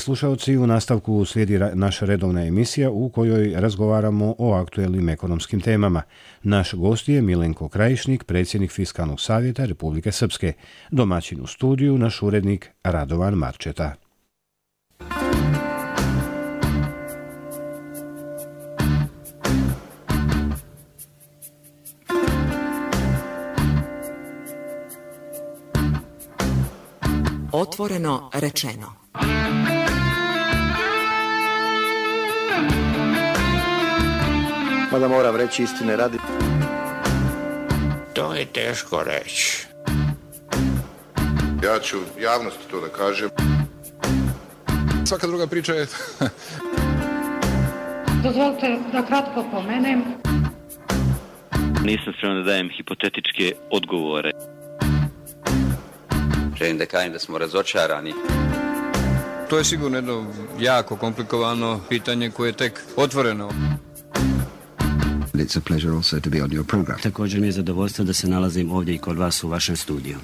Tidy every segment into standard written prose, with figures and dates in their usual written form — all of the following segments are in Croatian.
slušalci, u nastavku slijedi naša redovna emisija u kojoj razgovaramo o aktuelnim ekonomskim temama. Naš gost je Milenko Krajišnik, predsjednik Fiskalnog savjeta Republike Srpske. Domaćin u studiju naš urednik Radovan Marčeta. Otvoreno rečeno. Mada moram reći istine radi. To je teško reći. Ja ću javnosti to da kažem. Svaka druga priča je... Dozvolite da kratko pomenem. Nisam spreman da dajem hipotetičke odgovore. Želim da kažem da smo razočarani. To je sigurno jedno jako komplikovano pitanje koje je tek otvoreno. It's a pleasure also to be on your program. Također mi je zadovoljstvo da se nalazim ovdje i kod vas u vašem studiju.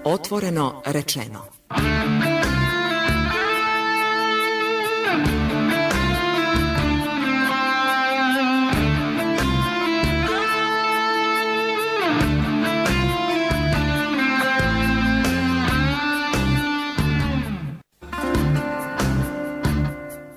Otvoreno rečeno.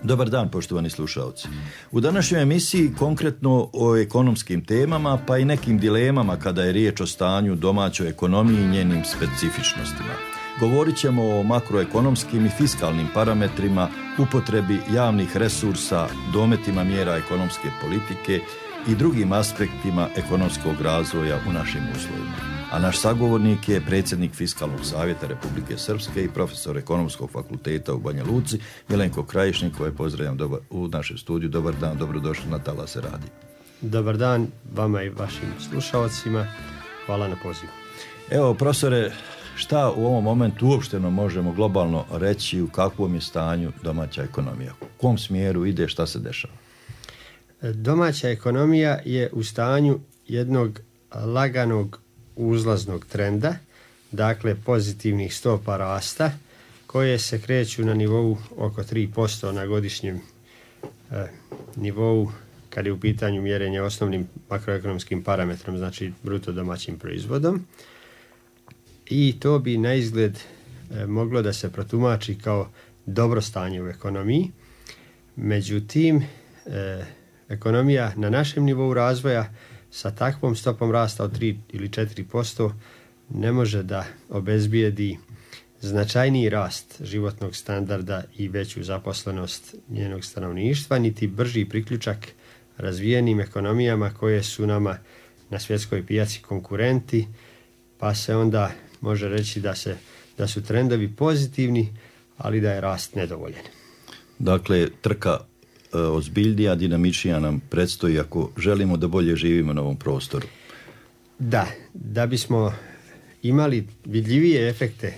Dobar dan, poštovani slušalci. U današnjoj emisiji konkretno o ekonomskim temama, pa i nekim dilemama kada je riječ o stanju domaćoj ekonomiji i njenim specifičnostima. Govorit ćemo o makroekonomskim i fiskalnim parametrima, upotrebi javnih resursa, dometima mjera ekonomske politike i drugim aspektima ekonomskog razvoja u našim uslovima. A naš sagovornik je predsjednik Fiskalnog savjeta Republike Srpske i profesor Ekonomskog fakulteta u Banja Luci, Milenko Krajišnik, koje pozdravljam u našem studiju. Dobar dan, dobrodošli na Talase Radio. Dobar dan vama i vašim slušalcima. Hvala na pozivu. Evo, profesore, šta u ovom momentu uopšteno možemo globalno reći, u kakvom je stanju domaća ekonomija? U kom smjeru ide, šta se dešava? Domaća ekonomija je u stanju jednog laganog uzlaznog trenda, dakle pozitivnih stopa rasta, koje se kreću na nivou oko 3% na godišnjem nivou kad je u pitanju mjerenje osnovnim makroekonomskim parametrom, znači bruto domaćim proizvodom. I to bi na izgled moglo da se protumači kao dobro stanje u ekonomiji. Međutim, ekonomija na našem nivou razvoja sa takvom stopom rasta od 3 ili 4% ne može da obezbijedi značajniji rast životnog standarda i veću zaposlenost njenog stanovništva, niti brži priključak razvijenim ekonomijama koje su nama na svjetskoj pijaci konkurenti, pa se onda može reći da su trendovi pozitivni, ali da je rast nedovoljan. Dakle, trka ozbiljnija, dinamičnija nam predstoji ako želimo da bolje živimo na ovom prostoru. Da bismo imali vidljivije efekte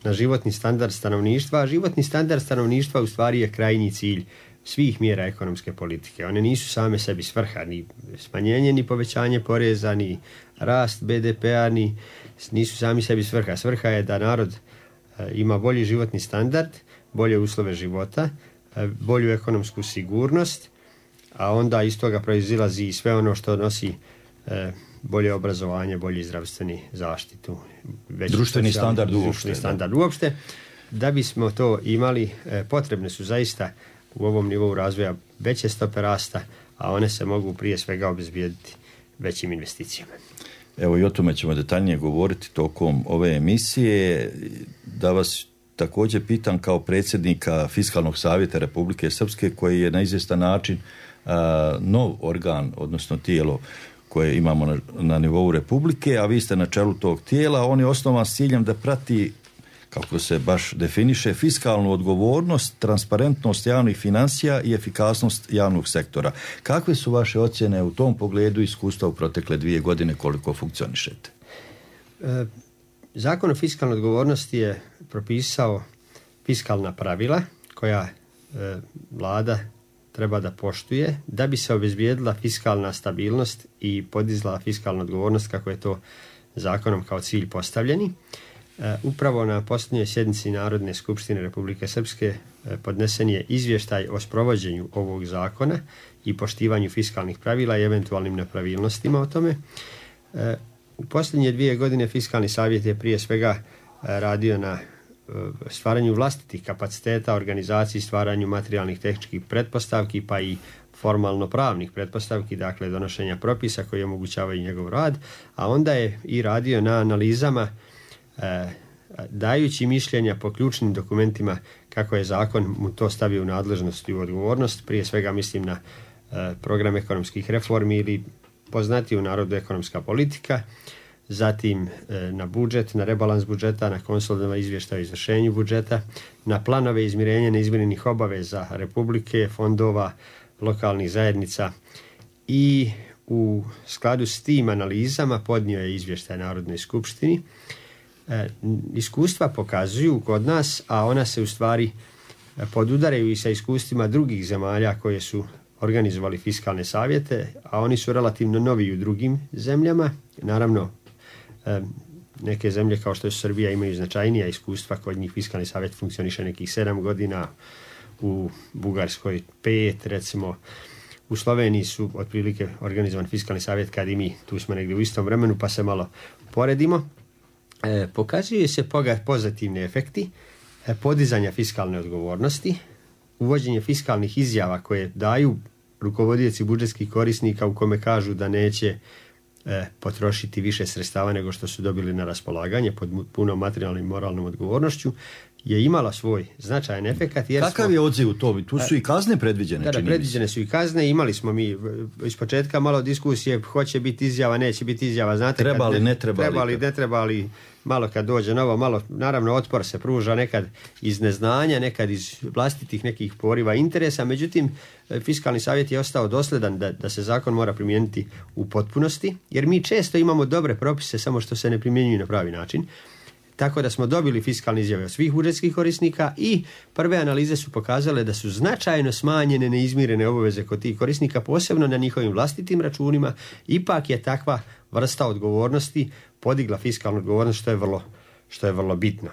na životni standard stanovništva, a životni standard stanovništva u stvari je krajnji cilj svih mjera ekonomske politike. One nisu same sebi svrha, ni smanjenje, ni povećanje poreza, ni rast BDP-a, nisu sami sebi svrha. Svrha je da narod ima bolji životni standard, bolje uslove života, bolju ekonomsku sigurnost, a onda iz toga proizilazi i sve ono što nosi bolje obrazovanje, bolji zdravstveni zaštitu, društveni standard uopšte. Da bismo to imali, potrebne su zaista u ovom nivou razvoja veće stope rasta, a one se mogu prije svega obezbijediti većim investicijama. Evo, i o tome ćemo detaljnije govoriti tokom ove emisije. Da vas također pitam kao predsjednika Fiskalnog savjeta Republike Srpske, koji je na izvjestan način nov organ, odnosno tijelo koje imamo na nivou Republike, a vi ste na čelu tog tijela. On je osnovan s ciljem da prati, kako se baš definiše, fiskalnu odgovornost, transparentnost javnih financija i efikasnost javnog sektora. Kakve su vaše ocjene u tom pogledu, iskustva u protekle 2 godine, koliko funkcionišete? Zakon o fiskalnoj odgovornosti je propisao fiskalna pravila koja vlada treba da poštuje da bi se obezbijedila fiskalna stabilnost i podizala fiskalna odgovornost kako je to zakonom kao cilj postavljeni. Upravo na posljednjoj sjednici Narodne skupštine Republike Srpske podnesen je izvještaj o sprovođenju ovog zakona i poštivanju fiskalnih pravila i eventualnim nepravilnostima o tome. U posljednje 2 godine Fiskalni savjet je prije svega radio na stvaranju vlastitih kapaciteta, organizaciji, stvaranju materijalnih tehničkih pretpostavki pa i formalno pravnih pretpostavki, dakle donošenja propisa koji omogućavaju njegov rad, a onda je i radio na analizama dajući mišljenja po ključnim dokumentima kako je zakon mu to stavio u nadležnost i u odgovornost. Prije svega mislim na program ekonomskih reformi ili poznatiju u narodu ekonomska politika, zatim na budžet, na rebalans budžeta, na konsolidovani izvještaj o izvršenju budžeta, na planove izmirenja neizmirenih obaveza Republike, fondova, lokalnih zajednica i u skladu s tim analizama podnio je izvještaj Narodnoj skupštini. Iskustva pokazuju kod nas, a ona se u stvari podudaraju i sa iskustvima drugih zemalja koje su organizovali fiskalne savjete, a oni su relativno novi u drugim zemljama. Naravno, neke zemlje kao što je Srbija imaju značajnija iskustva, kod njih fiskalni savjet funkcioniše nekih 7 godina, u Bugarskoj 5, recimo u Sloveniji su otprilike organizovan fiskalni savjet kad i mi, tu smo negdje u istom vremenu pa se malo poredimo. Pokazuje se pozitivni efekti podizanja fiskalne odgovornosti, uvođenje fiskalnih izjava koje daju rukovodioci budžetskih korisnika u kome kažu da neće potrošiti više sredstava nego što su dobili na raspolaganje pod punom materijalnom i moralnom odgovornošću, je imala svoj značajan efekat. Kakav je odziv u to? Tu su i kazne predviđene. Da, predviđene su i kazne. Imali smo mi iz početka malo diskusije, hoće biti izjava, neće biti izjava. Znate, trebali, ne trebali. Ne trebali, malo kad dođe novo, malo, naravno otpor se pruža nekad iz neznanja, nekad iz vlastitih nekih poriva interesa. Međutim, Fiskalni savjet je ostao dosledan da se zakon mora primijeniti u potpunosti, jer mi često imamo dobre propise, samo što se ne primjenjuju na pravi način. Tako da smo dobili fiskalne izjave od svih budžetskih korisnika i prve analize su pokazale da su značajno smanjene neizmirene obaveze kod tih korisnika, posebno na njihovim vlastitim računima. Ipak je takva vrsta odgovornosti podigla fiskalnu odgovornost, što je vrlo bitno.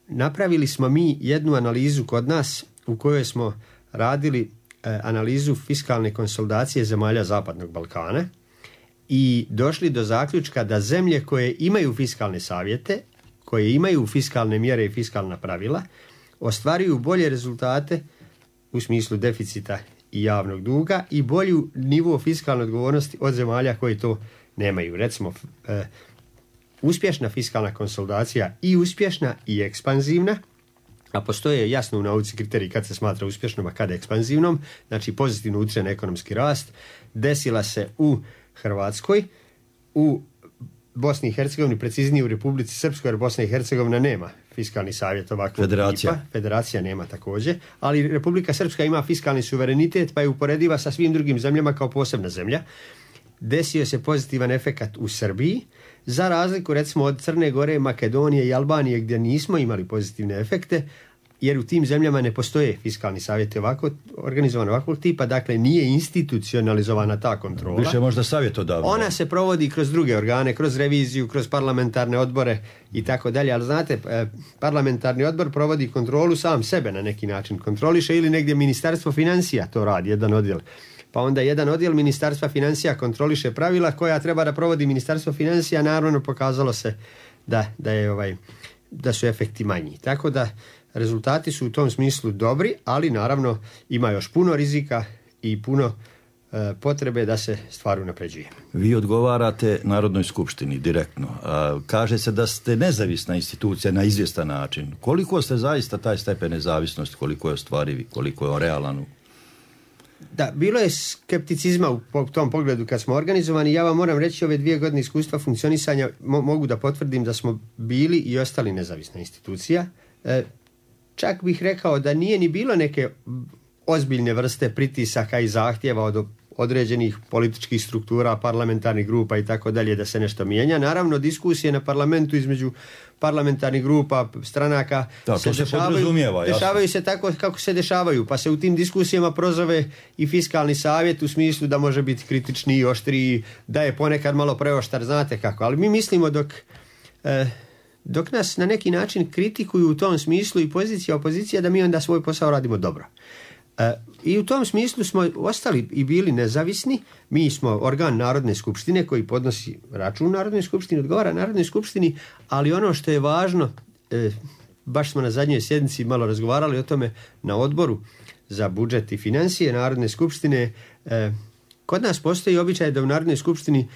Napravili smo mi jednu analizu kod nas u kojoj smo radili analizu fiskalne konsolidacije zemalja Zapadnog Balkana i došli do zaključka da zemlje koje imaju fiskalne savjete, koje imaju fiskalne mjere i fiskalna pravila, ostvaruju bolje rezultate u smislu deficita i javnog duga i bolju nivo fiskalne odgovornosti od zemalja koje to nemaju. Recimo, uspješna fiskalna konsolidacija i uspješna i ekspanzivna, a postoje jasno u nauci kriteriji kad se smatra uspješnom, a kada ekspanzivnom, znači pozitivno utječe na ekonomski rast, desila se u Hrvatskoj, u Bosni i Hercegovini, preciznije u Republici Srpskoj, jer Bosna i Hercegovina nema fiskalni savjet ovakvog tipa. Federacija nema također, ali Republika Srpska ima fiskalni suverenitet pa je uporediva sa svim drugim zemljama kao posebna zemlja. Desio se pozitivan efekat u Srbiji, za razliku recimo od Crne Gore, Makedonije i Albanije gdje nismo imali pozitivne efekte, jer u tim zemljama ne postoje fiskalni savjeti organizovan ovakvog tipa, dakle nije institucionalizovana ta kontrola. Više možda savjetodavno. Ona se provodi kroz druge organe, kroz reviziju, kroz parlamentarne odbore i tako dalje, ali znate, parlamentarni odbor provodi kontrolu sam sebe na neki način. Kontroliše ili negdje Ministarstvo financija to radi, jedan odjel. Pa onda jedan odjel Ministarstva financija kontroliše pravila koja treba da provodi Ministarstvo financija, naravno pokazalo se da su efekti manji. Tako da rezultati su u tom smislu dobri, ali naravno ima još puno rizika i puno potrebe da se stvar unapređuje. Vi odgovarate Narodnoj skupštini direktno. Kaže se da ste nezavisna institucija na izvjestan način. Koliko ste zaista taj stepen nezavisnosti, koliko je ostvarivi, koliko je on realan? Da, bilo je skepticizma u tom pogledu kad smo organizovani. Ja vam moram reći, ove 2 godine iskustva funkcionisanja mogu da potvrdim da smo bili i ostali nezavisna institucija. Čak bih rekao da nije ni bilo neke ozbiljne vrste pritisaka i zahtjeva od određenih političkih struktura, parlamentarnih grupa i tako dalje da se nešto mijenja. Naravno, diskusije na parlamentu između parlamentarnih grupa, stranaka dešavaju se tako kako se dešavaju, pa se u tim diskusijama prozove i fiskalni savjet u smislu da može biti kritičniji i oštriji, da je ponekad malo preoštar, znate kako. Ali mi mislimo dok nas na neki način kritikuju u tom smislu i pozicija, opozicija, da mi onda svoj posao radimo dobro. I u tom smislu smo ostali i bili nezavisni. Mi smo organ Narodne skupštine koji podnosi račun Narodnoj skupštini, odgovara Narodnoj skupštini, ali ono što je važno, baš smo na zadnjoj sjednici malo razgovarali o tome na odboru za budžet i financije Narodne skupštine. Kod nas postoji običaj da u Narodnoj skupštini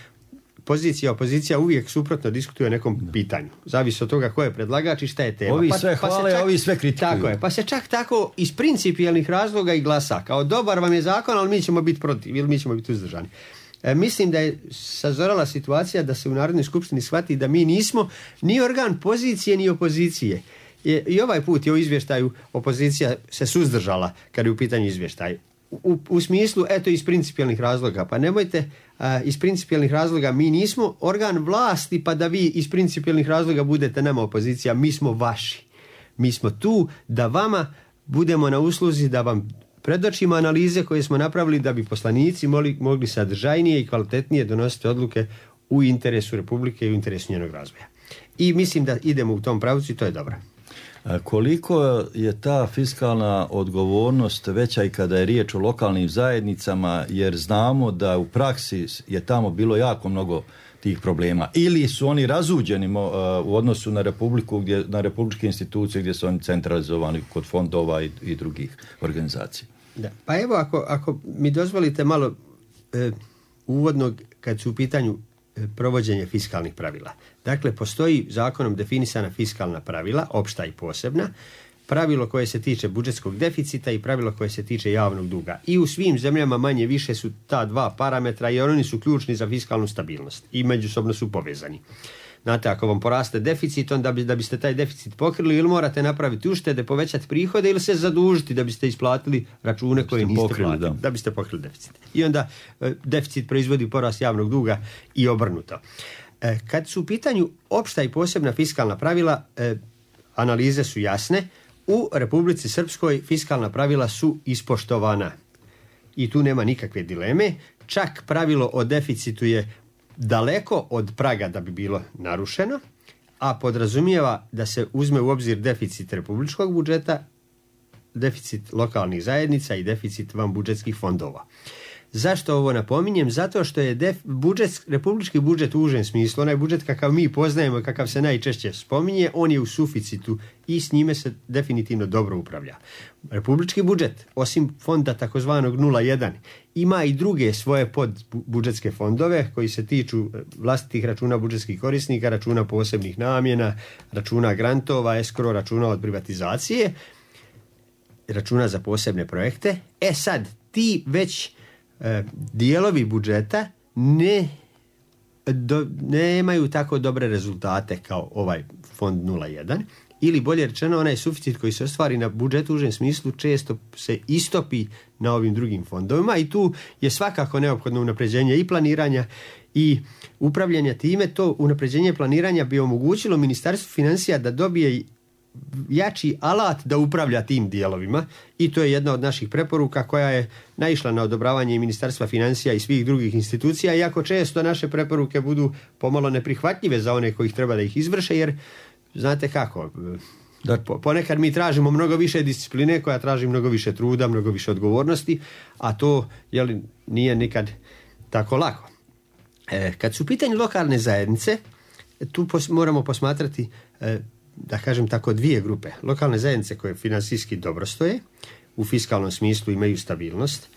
pozicija, opozicija uvijek suprotno diskutuje o nekom pitanju. Zavisi od toga ko je predlagač i šta je tema. Ovi sve hvale, a ovi sve kritikuju. Tako je, pa se čak tako iz principijelnih razloga i glasa. Kao dobar vam je zakon, ali mi ćemo biti protiv ili mi ćemo biti uzdržani. Mislim da je sazorala situacija da se u Narodnoj skupštini shvati da mi nismo ni organ pozicije ni opozicije. I ovaj put je u izvještaju opozicija se suzdržala kad je u pitanju izvještaj. U smislu, eto, iz principijelnih razloga. Pa nemojte iz principijelnih razloga, mi nismo organ vlasti pa da vi iz principijelnih razloga budete nama opozicija, mi smo vaši. Mi smo tu da vama budemo na usluzi, da vam predočimo analize koje smo napravili da bi poslanici mogli sadržajnije i kvalitetnije donositi odluke u interesu Republike i u interesu njenog razvoja. I mislim da idemo u tom pravcu i to je dobro. Koliko je ta fiskalna odgovornost veća i kada je riječ o lokalnim zajednicama, jer znamo da u praksi je tamo bilo jako mnogo tih problema, ili su oni razuđeni u odnosu na Republiku, na republičke institucije gdje su oni centralizovani kod fondova i drugih organizacija. Da. Pa evo, ako mi dozvolite malo uvodnog kad su u pitanju provođenje fiskalnih pravila. Dakle, postoji zakonom definisana fiskalna pravila, opšta i posebna, pravilo koje se tiče budžetskog deficita i pravilo koje se tiče javnog duga. I u svim zemljama manje više su ta dva parametra jer oni su ključni za fiskalnu stabilnost i međusobno su povezani. Znate, ako vam poraste deficit, onda da biste taj deficit pokrili ili morate napraviti uštede, povećati prihode ili se zadužiti da biste isplatili račune koje niste platili, da biste pokrili deficit. I onda deficit proizvodi porast javnog duga i obrnuto. Kad su u pitanju opšta i posebna fiskalna pravila, analize su jasne. U Republici Srpskoj fiskalna pravila su ispoštovana i tu nema nikakve dileme. Čak pravilo o deficitu je daleko od praga da bi bilo narušeno, a podrazumijeva da se uzme u obzir deficit republičkog budžeta, deficit lokalnih zajednica i deficit vanbudžetskih fondova. Zašto ovo napominjem? Zato što je republički budžet u užem smislu, onaj budžet kakav mi poznajemo, kakav se najčešće spominje, on je u suficitu i s njime se definitivno dobro upravlja. Republički budžet, osim fonda takozvanog 0,1, ima i druge svoje podbudžetske fondove koji se tiču vlastitih računa budžetskih korisnika, računa posebnih namjena, računa grantova, escrow, računa od privatizacije, računa za posebne projekte. Sad, ti već dijelovi budžeta nemaju tako dobre rezultate kao ovaj fond 0,1 ili bolje rečeno onaj suficit koji se ostvari na budžetu u užem smislu često se istopi na ovim drugim fondovima i tu je svakako neophodno unapređenje i planiranja i upravljanja time. To unapređenje planiranja bi omogućilo Ministarstvu financija da dobije jači alat da upravlja tim dijelovima i to je jedna od naših preporuka koja je naišla na odobravanje i Ministarstva financija i svih drugih institucija, iako često naše preporuke budu pomalo neprihvatljive za one koji treba da ih izvrše, jer znate kako, ponekad mi tražimo mnogo više discipline koja traži mnogo više truda, mnogo više odgovornosti, a to nije nikad tako lako. Kad su u pitanju lokalne zajednice, tu moramo posmatrati da kažem tako dvije grupe. Lokalne zajednice koje financijski dobro stoje, u fiskalnom smislu imaju stabilnost.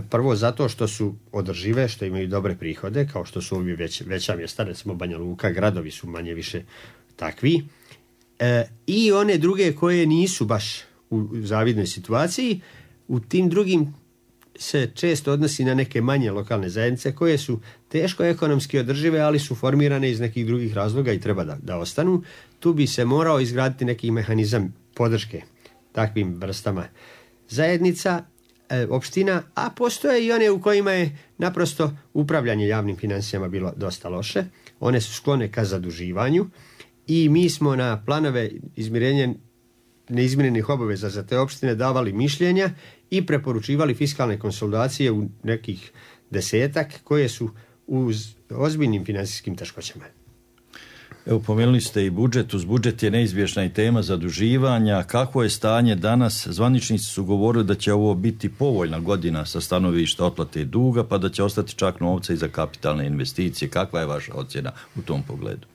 Prvo zato što su održive, što imaju dobre prihode, kao što su ovi veća mjesta, recimo Banja Luka, gradovi su manje više takvi. I one druge koje nisu baš u zavidnoj situaciji, u tim drugim se često odnosi na neke manje lokalne zajednice koje su teško ekonomski održive, ali su formirane iz nekih drugih razloga i treba da ostanu. Tu bi se morao izgraditi neki mehanizam podrške takvim vrstama zajednica, opština, a postoje i one u kojima je naprosto upravljanje javnim financijama bilo dosta loše. One su sklone ka zaduživanju i mi smo na planove izmirenja neizmirenih obaveza za te opštine davali mišljenja i preporučivali fiskalne konsolidacije u nekih 10 koje su u ozbiljnim financijskim teškoćama. Evo, pomenuli ste i budžet. Uz budžet je neizbježna i tema zaduživanja. Kako je stanje danas? Zvaničnici su govorili da će ovo biti povoljna godina sa stanovišta otplate duga, pa da će ostati čak novca i za kapitalne investicije. Kakva je vaša ocjena u tom pogledu?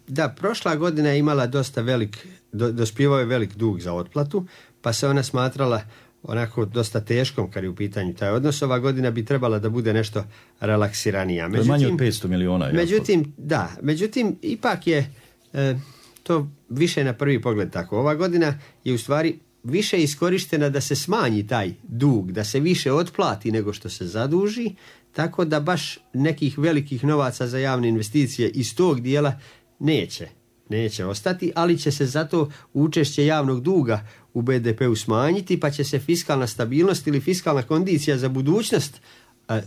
Da, prošla godina je imala dosta dospijevao je velik dug za otplatu, pa se ona smatrala onako dosta teškom kad je u pitanju taj odnos. Ova godina bi trebala da bude nešto relaksiranija. To je manje od 500 miliona. Međutim, ipak je to više na prvi pogled tako. Ova godina je u stvari više iskorištena da se smanji taj dug, da se više otplati nego što se zaduži, tako da baš nekih velikih novaca za javne investicije iz tog dijela neće ostati, ali će se zato učešće javnog duga u BDP-u smanjiti, pa će se fiskalna stabilnost ili fiskalna kondicija za budućnost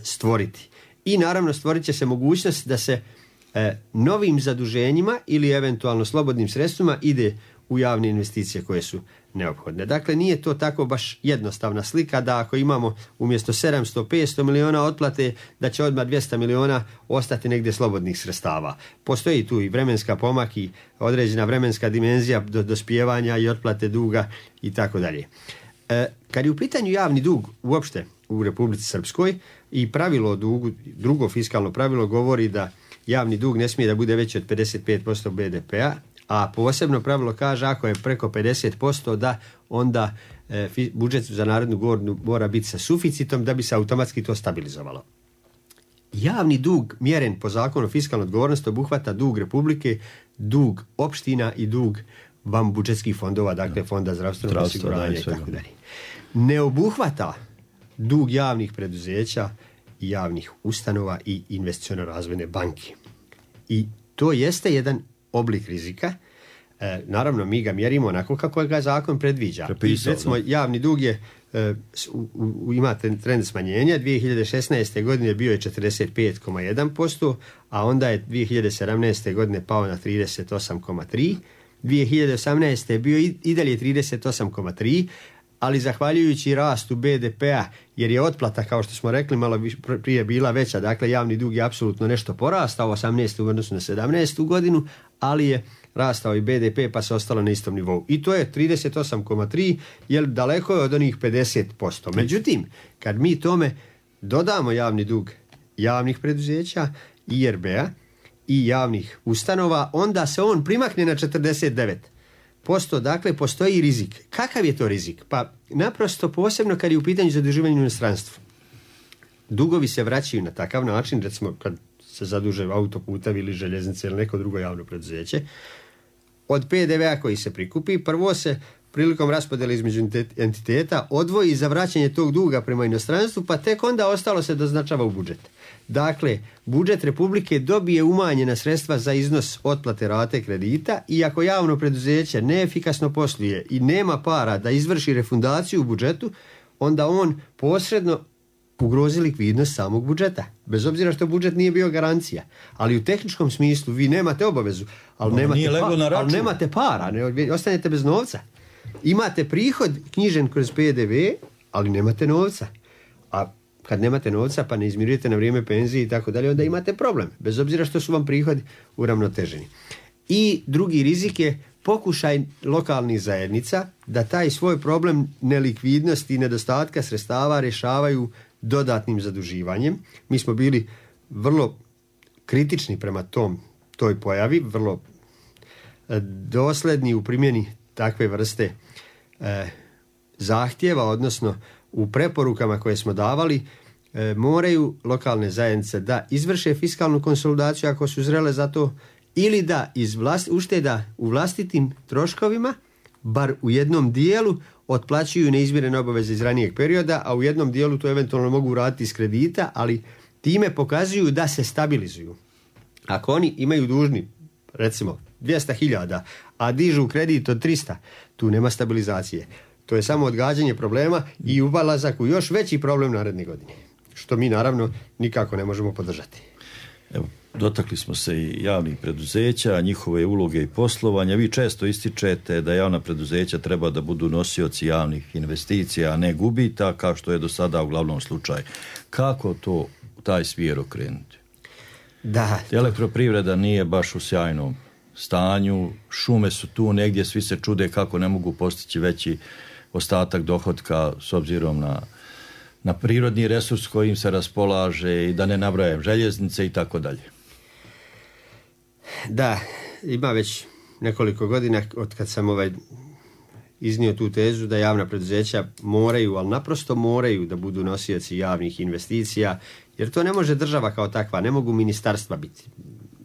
stvoriti. I naravno stvorit će se mogućnost da se novim zaduženjima ili eventualno slobodnim sredstvima ide u javne investicije koje su neophodne. Dakle, nije to tako baš jednostavna slika da ako imamo umjesto 700-500 miliona otplate, da će odmah 200 miliona ostati negdje slobodnih sredstava. Postoji tu i vremenska pomak i određena vremenska dimenzija dospijevanja i otplate duga i tako dalje. Kad je u pitanju javni dug uopšte u Republici Srpskoj i pravilo o dugu, drugo fiskalno pravilo govori da javni dug ne smije da bude veći od 55% BDP-a, a posebno pravilo kaže ako je preko 50% da onda budžet za narednu godinu mora biti sa suficitom da bi se automatski to stabilizovalo. Javni dug mjeren po zakonu o fiskalnoj odgovornosti obuhvata dug Republike, dug opština i dug vanbudžetskih fondova, dakle fonda zdravstvenog osiguranja i tako dalje. Ne obuhvata dug javnih preduzeća, javnih ustanova i investiciono-razvojne banke. I to jeste jedan oblik rizika. Naravno, mi ga mjerimo onako kako ga zakon predviđa. Recimo, javni dug je ima trend smanjenja. 2016. godine bio je 45,1%, a onda je 2017. godine pao na 38,3%. 2018. je bio i dalje 38,3%, ali zahvaljujući rastu BDP-a, jer je otplata, kao što smo rekli, malo prije bila veća, dakle javni dug je apsolutno nešto porastao 18. u odnosu na 17. godinu, ali je rastao i BDP pa se ostalo na istom nivou. I to je 38,3, jer daleko je od onih 50%. Međutim, kad mi tome dodamo javni dug javnih preduzeća, IRB-a i javnih ustanova, onda se on primakne na 49%. Dakle, postoji rizik. Kakav je to rizik? Pa naprosto posebno kad je u pitanju zaduživanja u inostranstvu. Dugovi se vraćaju na takav način, recimo kad se zaduže autoputevi ili željeznice ili neko drugo javno preduzeće, od PDV-a koji se prikupi, prvo se prilikom raspodjele između entiteta odvoji za vraćanje tog duga prema inostranstvu, pa tek onda ostalo se doznačava u budžet. Dakle, budžet Republike dobije umanjena sredstva za iznos otplate rate kredita i ako javno preduzeće neefikasno posluje i nema para da izvrši refundaciju u budžetu, onda on posredno ugrozi likvidnost samog budžeta. Bez obzira što budžet nije bio garancija. Ali u tehničkom smislu vi nemate obavezu, ali nemate para, ostanete bez novca. Imate prihod knjižen kroz PDV, ali nemate novca. A kad nemate novca pa ne izmirujete na vrijeme penzije i tako dalje, onda imate problem. Bez obzira što su vam prihodi uravnoteženi. I drugi rizik je pokušaj lokalnih zajednica da taj svoj problem nelikvidnosti i nedostatka sredstava rješavaju dodatnim zaduživanjem. Mi smo bili vrlo kritični prema toj pojavi, vrlo dosljedni u primjeni takve vrste zahtjeva, odnosno u preporukama koje smo davali, moraju lokalne zajednice da izvrše fiskalnu konsolidaciju ako su zrele za to, ili da ušteda u vlastitim troškovima, bar u jednom dijelu, otplaćuju neizmirene obaveze iz ranijeg perioda, a u jednom dijelu to eventualno mogu uraditi iz kredita, ali time pokazuju da se stabilizuju. Ako oni imaju dužni, recimo, 200.000, a dižu kredit od 300, tu nema stabilizacije. To je samo odgađanje problema i ubalazak u još veći problem naredne godine, što mi naravno nikako ne možemo podržati. Evo, dotakli smo se i javnih preduzeća, njihove uloge i poslovanja. Vi često ističete da javna preduzeća treba da budu nosioci javnih investicija, a ne gubita, kao što je do sada uglavnom slučaj. Kako taj smjer okrenuti? Da. Elektroprivreda nije baš u sjajnom stanju, šume su tu negdje, svi se čude kako ne mogu postići veći ostatak dohotka s obzirom na prirodni resurs kojim se raspolaže i da ne nabrajam željeznice i tako dalje. Da, ima već nekoliko godina od kad sam iznio tu tezu da javna preduzeća moraju, ali naprosto moraju da budu nosioci javnih investicija, jer to ne može država kao takva, ne mogu ministarstva biti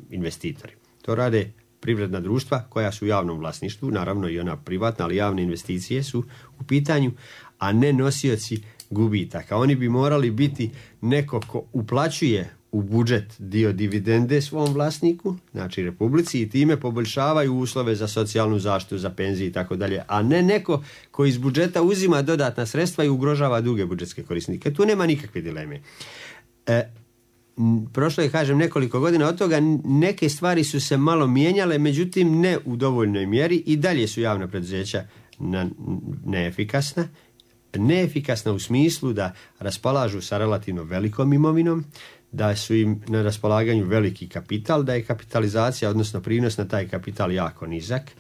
investitori. To rade privredna društva koja su u javnom vlasništvu, naravno i ona privatna, ali javne investicije su u pitanju, a ne nosioci gubitaka. Oni bi morali biti neko ko uplaćuje u budžet dio dividende svom vlasniku, znači Republici, i time poboljšavaju uslove za socijalnu zaštitu, za penzije i tako dalje, a ne neko koji iz budžeta uzima dodatna sredstva i ugrožava druge budžetske korisnike. Tu nema nikakve dileme. Prošlo je, kažem, nekoliko godina od toga, neke stvari su se malo mijenjale, međutim ne u dovoljnoj mjeri i dalje su javna preduzeća neefikasna. Neefikasna u smislu da raspolažu sa relativno velikom imovinom, da su im na raspolaganju veliki kapital, da je kapitalizacija, odnosno prinos na taj kapital jako nizak,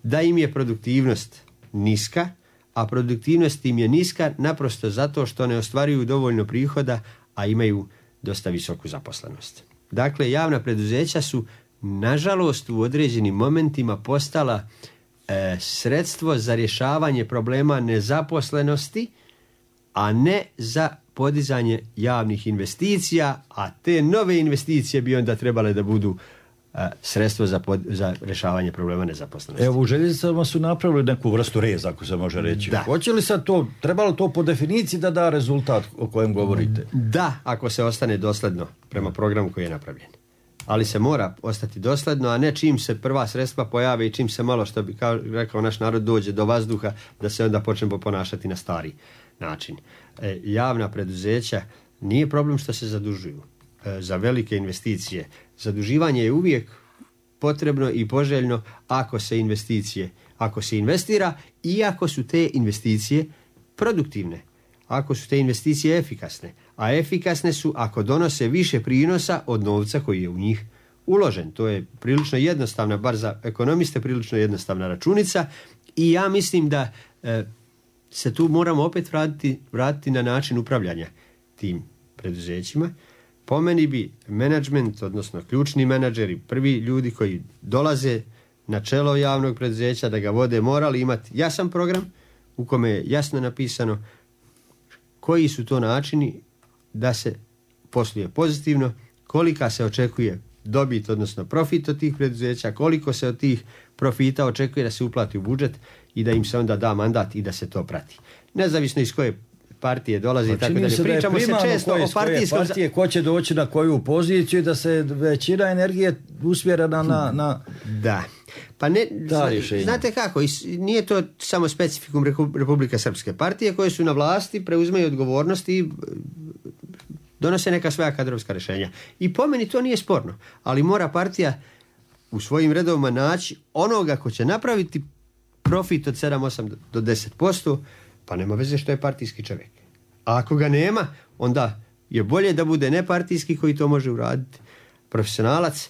da im je produktivnost niska, a produktivnost im je niska naprosto zato što ne ostvaruju dovoljno prihoda, a imaju dosta visoku zaposlenost. Dakle, javna preduzeća su, nažalost, u određenim momentima postala sredstvo za rješavanje problema nezaposlenosti, a ne za podizanje javnih investicija, a te nove investicije bi onda trebale da budu sredstvo za rješavanje problema nezaposlenosti. Evo, u željeznicama su napravili neku vrstu reza, ako se može reći. Da. Hoće li sad to, trebalo to po definiciji da da rezultat o kojem govorite? Da, ako se ostane dosledno prema programu koji je napravljen. Ali se mora ostati dosledno, a ne čim se prva sredstva pojave i čim se malo, što bi rekao naš narod, dođe do vazduha, da se onda počnemo ponašati na stari način. Javna preduzeća nije problem što se zadužuju za velike investicije. Zaduživanje je uvijek potrebno i poželjno ako se investira i ako su te investicije produktivne, ako su te investicije efikasne. A efikasne su ako donose više prinosa od novca koji je u njih uložen. To je prilično jednostavna, bar za ekonomiste, prilično jednostavna računica i ja mislim da se tu moramo opet vratiti na način upravljanja tim preduzećima. Po meni bi menadžment, odnosno ključni menadžeri, prvi ljudi koji dolaze na čelo javnog preduzeća da ga vode, morali imati jasan program u kome je jasno napisano koji su to načini da se posluje pozitivno, kolika se očekuje dobit, odnosno profit od tih preduzeća, koliko se od tih profita očekuje da se uplati u budžet i da im se onda da mandat i da se to prati. Nezavisno iz koje partije dolazi i tako dalje. Pričamo se često o partije, ko će doći na koju poziciju, da se većina energije usmjerena na da. Pa ne, znate kako, nije to samo specifikum Republike Srpske. Partije koje su na vlasti preuzimaju odgovornosti i donose neka svoja kadrovska rješenja. I po meni to nije sporno, ali mora partija u svojim redovima naći onoga ko će napraviti profit od 7-8 do 10%, pa nema veze što je partijski čovjek. A ako ga nema, onda je bolje da bude nepartijski koji to može uraditi, profesionalac,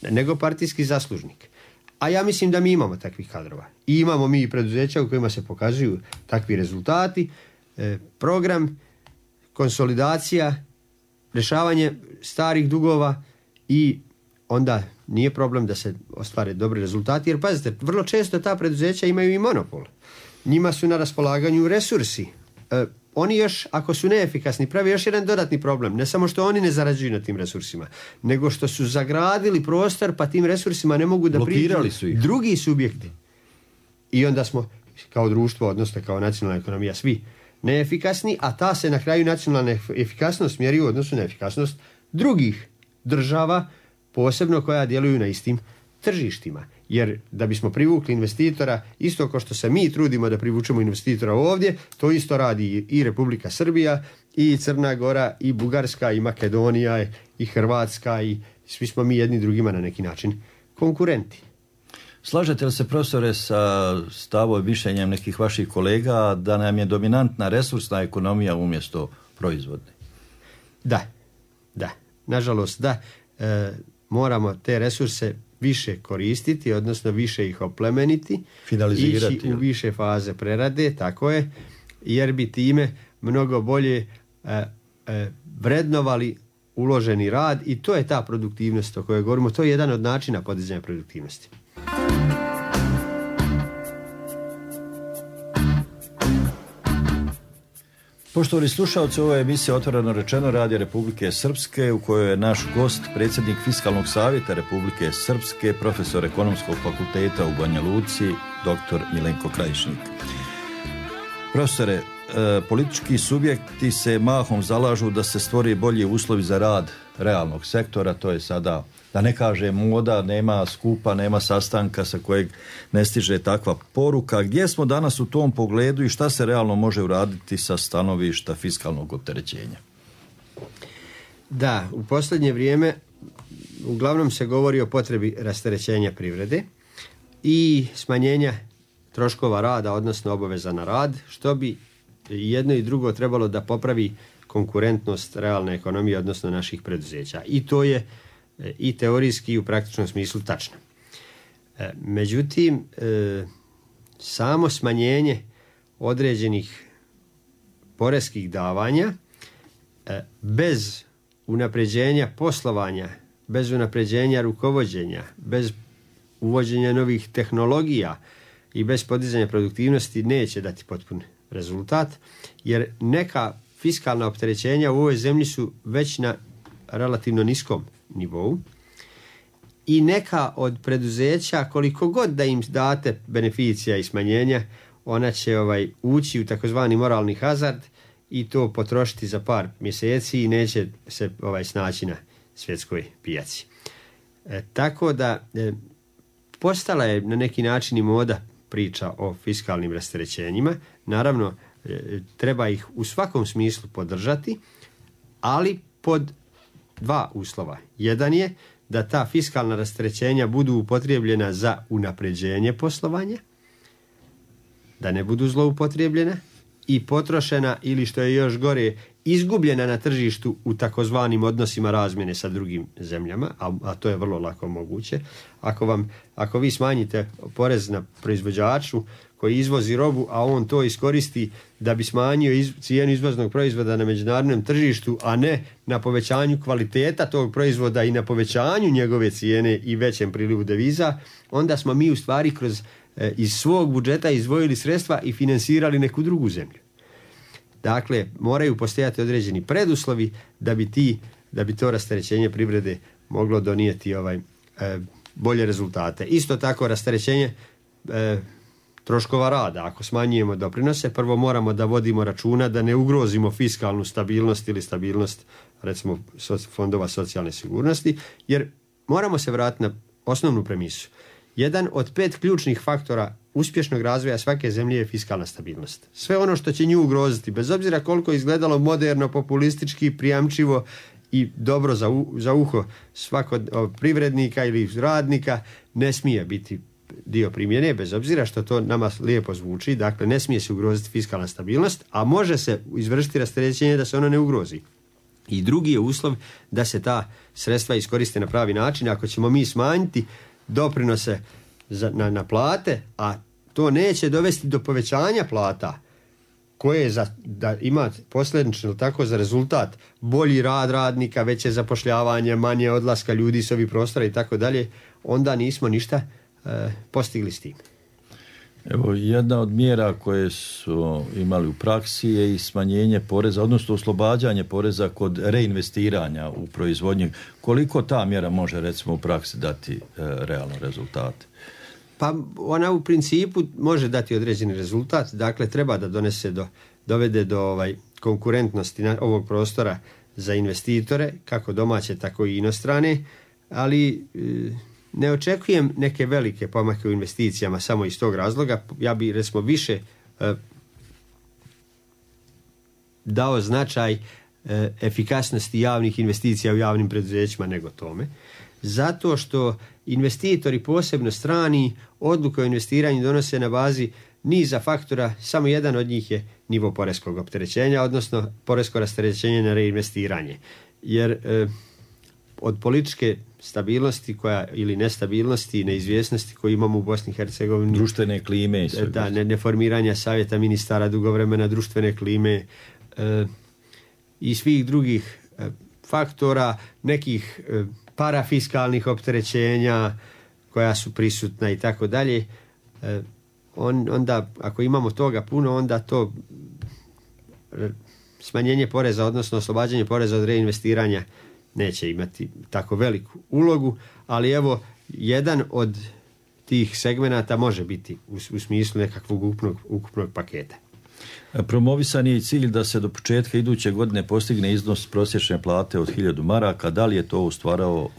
nego partijski zaslužnik. A ja mislim da mi imamo takvih kadrova. I imamo mi i preduzeća u kojima se pokazuju takvi rezultati, program, konsolidacija, rješavanje starih dugova i onda nije problem da se ostvare dobri rezultati, jer pazite, vrlo često ta preduzeća imaju i monopol. Njima su na raspolaganju resursi. Oni još, ako su neefikasni, pravi još jedan dodatni problem. Ne samo što oni ne zarađuju na tim resursima, nego što su zagradili prostor, pa tim resursima ne mogu da priđu drugi subjekti. I onda smo kao društvo, odnosno kao nacionalna ekonomija, svi neefikasni, a ta se na kraju nacionalna efikasnost mjeri u odnosu na efikasnost drugih država, posebno koja djeluju na istim tržištima. Jer da bismo privukli investitora, isto kao što se mi trudimo da privučemo investitora ovdje, to isto radi i Republika Srbija, i Crna Gora, i Bugarska, i Makedonija, i Hrvatska, i svi smo mi jedni drugima na neki način konkurenti. Slažete li se, profesore, sa stavom i mišljenjem nekih vaših kolega da nam je dominantna resursna ekonomija umjesto proizvodne? Da. nažalost, da moramo te resurse više koristiti, odnosno više ih oplemeniti, ići u više faze prerade, tako je, jer bi time mnogo bolje vrednovali uloženi rad i to je ta produktivnost o kojoj govorimo. To je jedan od načina podizanja produktivnosti. Poštovani slušalci, ovo je emisija Otvoreno rečeno Radija Republike Srpske u kojoj je naš gost predsjednik Fiskalnog savjeta Republike Srpske, profesor Ekonomskog fakulteta u Banja Luci, dr. Milenko Krajišnik. Profesore, politički subjekti se mahom zalažu da se stvori bolji uslovi za rad realnog sektora, to je sada, da ne kaže moda, nema skupa, nema sastanka sa kojeg ne stiže takva poruka. Gdje smo danas u tom pogledu i šta se realno može uraditi sa stanovišta fiskalnog opterećenja? Da, u posljednje vrijeme uglavnom se govori o potrebi rasterećenja privrede i smanjenja troškova rada, odnosno obaveza na rad, što bi jedno i drugo trebalo da popravi konkurentnost realne ekonomije, odnosno naših preduzeća. I to je i teorijski i u praktičnom smislu tačno. Međutim, samo smanjenje određenih poreskih davanja bez unapređenja poslovanja, bez unapređenja rukovođenja, bez uvođenja novih tehnologija i bez podizanja produktivnosti neće dati potpun rezultat, jer neka fiskalna opterećenja u ovoj zemlji su već na relativno niskom nivou i neka od preduzeća, koliko god da im date beneficija i smanjenja, ona će ući u takozvani moralni hazard i to potrošiti za par mjeseci i neće se snaći na svjetskoj pijaci. Tako da postala je na neki način i moda priča o fiskalnim rasterećenjima. Naravno, treba ih u svakom smislu podržati, ali pod dva uslova. Jedan je da ta fiskalna rasterećenja budu upotrijebljena za unapređenje poslovanja, da ne budu zloupotrijebljena i potrošena ili, što je još gore, izgubljena na tržištu u takozvanim odnosima razmjene sa drugim zemljama, a to je vrlo lako moguće. Ako vi smanjite porez na proizvođaču koji izvozi robu, a on to iskoristi da bi smanjio cijenu izvoznog proizvoda na međunarodnom tržištu, a ne na povećanju kvaliteta tog proizvoda i na povećanju njegove cijene i većem prilivu deviza, onda smo mi u stvari iz svog budžeta izdvojili sredstva i finansirali neku drugu zemlju. Dakle, moraju postojati određeni preduslovi da bi to rasterećenje privrede moglo donijeti bolje rezultate. Isto tako rasterećenje troškova rada. Ako smanjujemo doprinose, prvo moramo da vodimo računa da ne ugrozimo fiskalnu stabilnost ili stabilnost, recimo, fondova socijalne sigurnosti, jer moramo se vratiti na osnovnu premisu. Jedan od 5 ključnih faktora uspješnog razvoja svake zemlje je fiskalna stabilnost. Sve ono što će nju ugroziti, bez obzira koliko izgledalo moderno, populistički, prijamčivo i dobro za uho svakog privrednika ili radnika, ne smije biti dio primjene, bez obzira što to nama lijepo zvuči. Dakle, ne smije se ugroziti fiskalna stabilnost, a može se izvršiti rasterećenje da se ono ne ugrozi. I drugi je uslov da se ta sredstva iskoriste na pravi način. Ako ćemo mi smanjiti doprinose na plate, a to neće dovesti do povećanja plata, koje da ima posljedično tako za rezultat bolji rad radnika, veće zapošljavanje, manje odlaska ljudi s ovih prostora i tako dalje, onda nismo ništa postigli s tim. Evo, jedna od mjera koje su imali u praksi je i smanjenje poreza, odnosno oslobađanje poreza kod reinvestiranja u proizvodnju. Koliko ta mjera može, recimo, u praksi dati realno rezultate? Pa ona u principu može dati određeni rezultat. Dakle, treba da dovede do konkurentnosti ovog prostora za investitore, kako domaće, tako i inostrane, ali ne očekujem neke velike pomake u investicijama samo iz tog razloga. Ja bi, recimo, više dao značaj efikasnosti javnih investicija u javnim preduzećima nego tome. Zato što investitori, posebno strani, odluke o investiranju donose na bazi niza faktora, samo jedan od njih je nivo poreskog opterećenja, odnosno poresko rasterećenje na reinvestiranje. Jer od političke stabilnosti ili nestabilnosti, neizvjesnosti koju imamo u Bosni i Hercegovini. Društvene klime i sve. Da, neformiranja savjeta ministara dugo vremena, društvene klime i svih drugih faktora, nekih parafiskalnih opterećenja koja su prisutna i tako dalje. Onda, ako imamo toga puno, onda to smanjenje poreza, odnosno oslobađanje poreza od reinvestiranja neće imati tako veliku ulogu, ali evo, jedan od tih segmenata može biti u smislu nekakvog ukupnog paketa. Promovisan je i cilj da se do početka iduće godine postigne iznos prosječne plate od 1000 maraka. Da li je to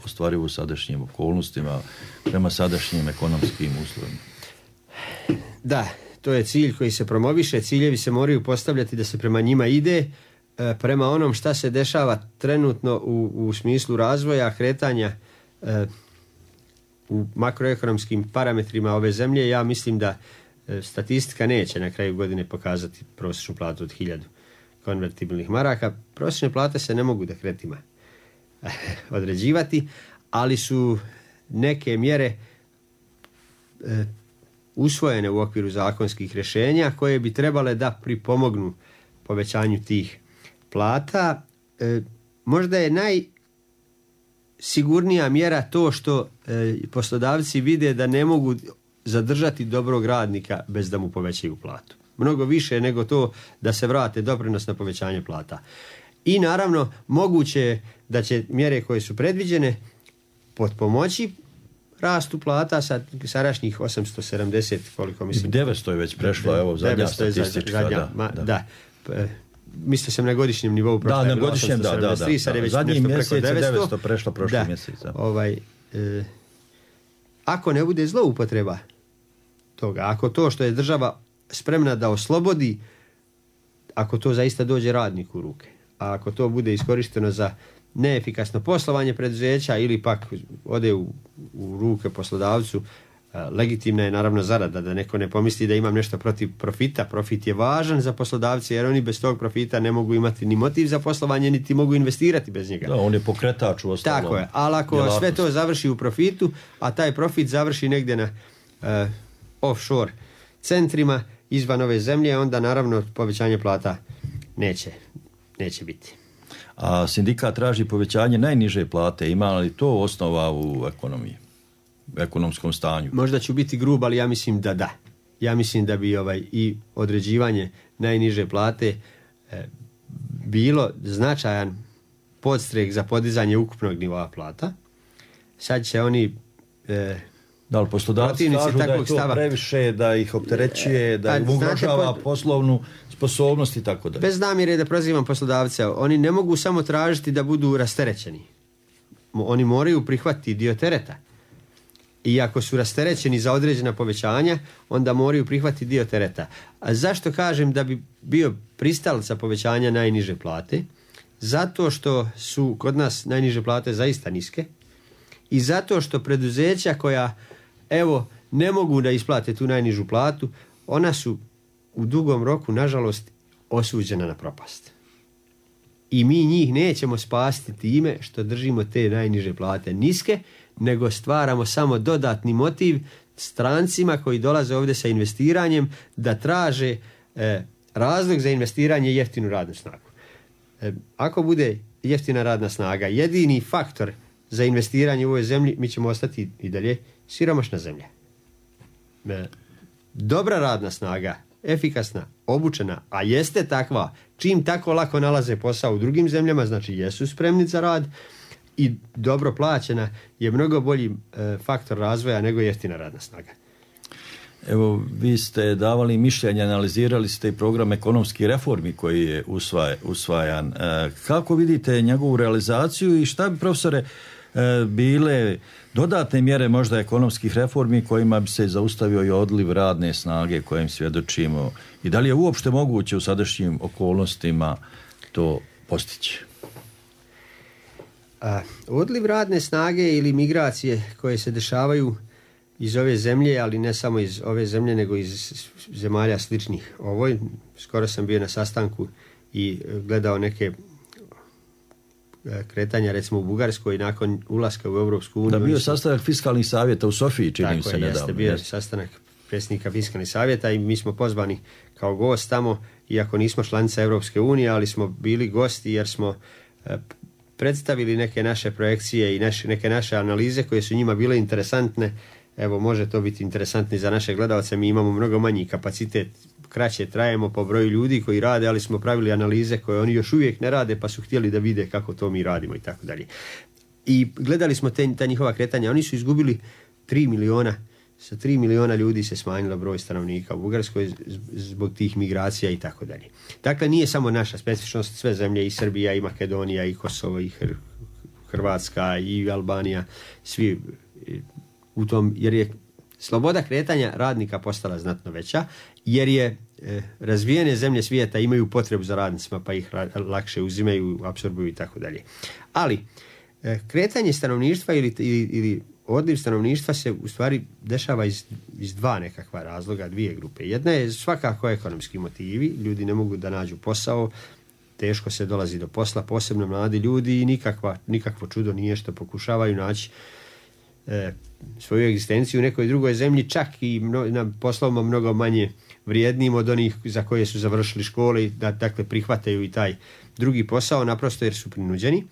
ostvarivo u sadašnjim okolnostima prema sadašnjim ekonomskim uslovima? Da, to je cilj koji se promoviše. Ciljevi se moraju postavljati da se prema njima ide. Prema onom šta se dešava trenutno u smislu razvoja, kretanja u makroekonomskim parametrima ove zemlje, ja mislim da statistika neće na kraju godine pokazati prosječnu platu od 1000 konvertibilnih maraka. Prosječne plate se ne mogu dekretima određivati, ali su neke mjere usvojene u okviru zakonskih rješenja koje bi trebale da pripomognu povećanju tih plata. Možda je najsigurnija mjera to što poslodavci vide da ne mogu zadržati dobrog radnika bez da mu povećaju platu. Mnogo više nego to da se vrate doprinos na povećanje plata. I naravno, moguće je da će mjere koje su predviđene potpomoći rastu plata sa sadašnjih 870, koliko mislim. 900 je već prešlo, evo zadnja statistička. Da. Mislio sam na godišnjem nivou. Da, na godišnjem, da. Zadnji mjesec je 900 prešlo prošli mjesec. Ako ne bude zloupotreba toga, ako to što je država spremna da oslobodi, ako to zaista dođe radniku u ruke, a ako to bude iskorišteno za neefikasno poslovanje preduzeća ili pak ode u ruke poslodavcu, legitimna je naravno zarada, da neko ne pomisli da imam nešto protiv profita. Profit je važan za poslodavce jer oni bez tog profita ne mogu imati ni motiv za poslovanje, niti mogu investirati bez njega. Da, on je pokretač u ostalom. Tako je, ali ako sve to završi u profitu, a taj profit završi negdje na offshore centrima izvan ove zemlje, onda naravno povećanje plata neće biti. A sindikat traži povećanje najniže plate. Ima li to osnova u ekonomiji, u ekonomskom stanju? Možda ću biti grub, ali ja mislim da da. Ja mislim da bi i određivanje najniže plate bilo značajan podstrek za podizanje ukupnog nivoa plata. Sad će oni... Da li poslodavci kažu da je to previše, da ih opterećuje, da ih ugrožava poslovnu sposobnost i tako da. Bez namjere da prozivam poslodavce, oni ne mogu samo tražiti da budu rasterećeni. Oni moraju prihvatiti dio tereta. I ako su rasterećeni za određena povećanja, onda moraju prihvatiti dio tereta. A zašto kažem da bi bio pristalica povećanja najniže plate? Zato što su kod nas najniže plate zaista niske i zato što preduzeća koja ne mogu da isplate tu najnižu platu, ona su u dugom roku, nažalost, osuđena na propast. I mi njih nećemo spasiti time što držimo te najniže plate niske, nego stvaramo samo dodatni motiv strancima koji dolaze ovdje sa investiranjem da traže razlog za investiranje jeftinu radnu snagu. Ako bude jeftina radna snaga jedini faktor za investiranje u ovoj zemlji, mi ćemo ostati i dalje siromašna zemlja. Dobra radna snaga, efikasna, obučena, a jeste takva, čim tako lako nalaze posao u drugim zemljama, znači jesu spremni za rad i dobro plaćena, je mnogo bolji faktor razvoja nego jeftina radna snaga. Evo, vi ste davali mišljenje, analizirali ste i program ekonomskih reformi koji je usvajan. Kako vidite njegovu realizaciju i šta bi, profesore, bile dodatne mjere možda ekonomskih reformi kojima bi se zaustavio i odliv radne snage kojim svjedočimo i da li je uopšte moguće u sadašnjim okolnostima to postići? Odliv radne snage ili migracije koje se dešavaju iz ove zemlje, ali ne samo iz ove zemlje nego iz zemalja sličnih ovoj. Skoro sam bio na sastanku i gledao neke kretanja recimo u Bugarskoj nakon ulaska u Europsku uniju. Da bio sastanak fiskalnih savjeta u Sofiji, čini se nedavno. Jeste, bio sastanak predsjednika fiskalnih savjeta i mi smo pozvani kao gost tamo, iako nismo članica Europske unije, ali smo bili gosti jer smo predstavili neke naše projekcije i neke naše analize koje su njima bile interesantne. Evo, može to biti interesantno za naše gledalce, mi imamo mnogo manji kapacitet, kraće trajemo po broju ljudi koji rade, ali smo pravili analize koje oni još uvijek ne rade, pa su htjeli da vide kako to mi radimo i tako dalje. I gledali smo ta njihova kretanja, oni su izgubili 3 miliona, sa 3 miliona ljudi se smanjilo broj stanovnika u Bugarskoj zbog tih migracija i tako dalje. Dakle, nije samo naša specifičnost, sve zemlje, i Srbija, i Makedonija, i Kosovo, i Hrvatska, i Albanija, svi u tom, jer je sloboda kretanja radnika postala znatno veća, jer je razvijene zemlje svijeta imaju potrebu za radnicima, pa ih lakše uzimaju, apsorbuju i tako dalje. Ali kretanje stanovništva ili odliv stanovništva se u stvari dešava iz dva nekakva razloga, dvije grupe. Jedna je svakako ekonomski motivi, ljudi ne mogu da nađu posao, teško se dolazi do posla, posebno mladi ljudi, i nikakvo čudo nije što pokušavaju naći svoju egzistenciju u nekoj drugoj zemlji, čak i na poslovima mnogo manje vrijednim od onih za koje su završili škole, dakle prihvataju i taj drugi posao naprosto jer su prinuđeni.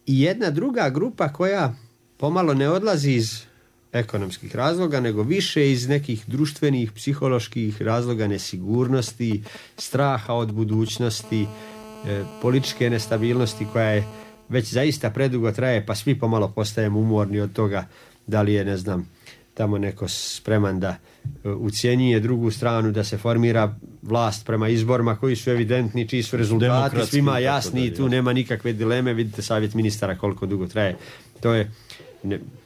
I jedna druga grupa koja pomalo ne odlazi iz ekonomskih razloga, nego više iz nekih društvenih, psiholoških razloga, nesigurnosti, straha od budućnosti, političke nestabilnosti koja je već zaista predugo traje, pa svi pomalo postajemo umorni od toga da li je, ne znam, tamo neko spreman da ucjenjuje drugu stranu, da se formira vlast prema izborima koji su evidentni, čiji su rezultati svima jasni i tu nema nikakve dileme. Vidite savjet ministara koliko dugo traje. To je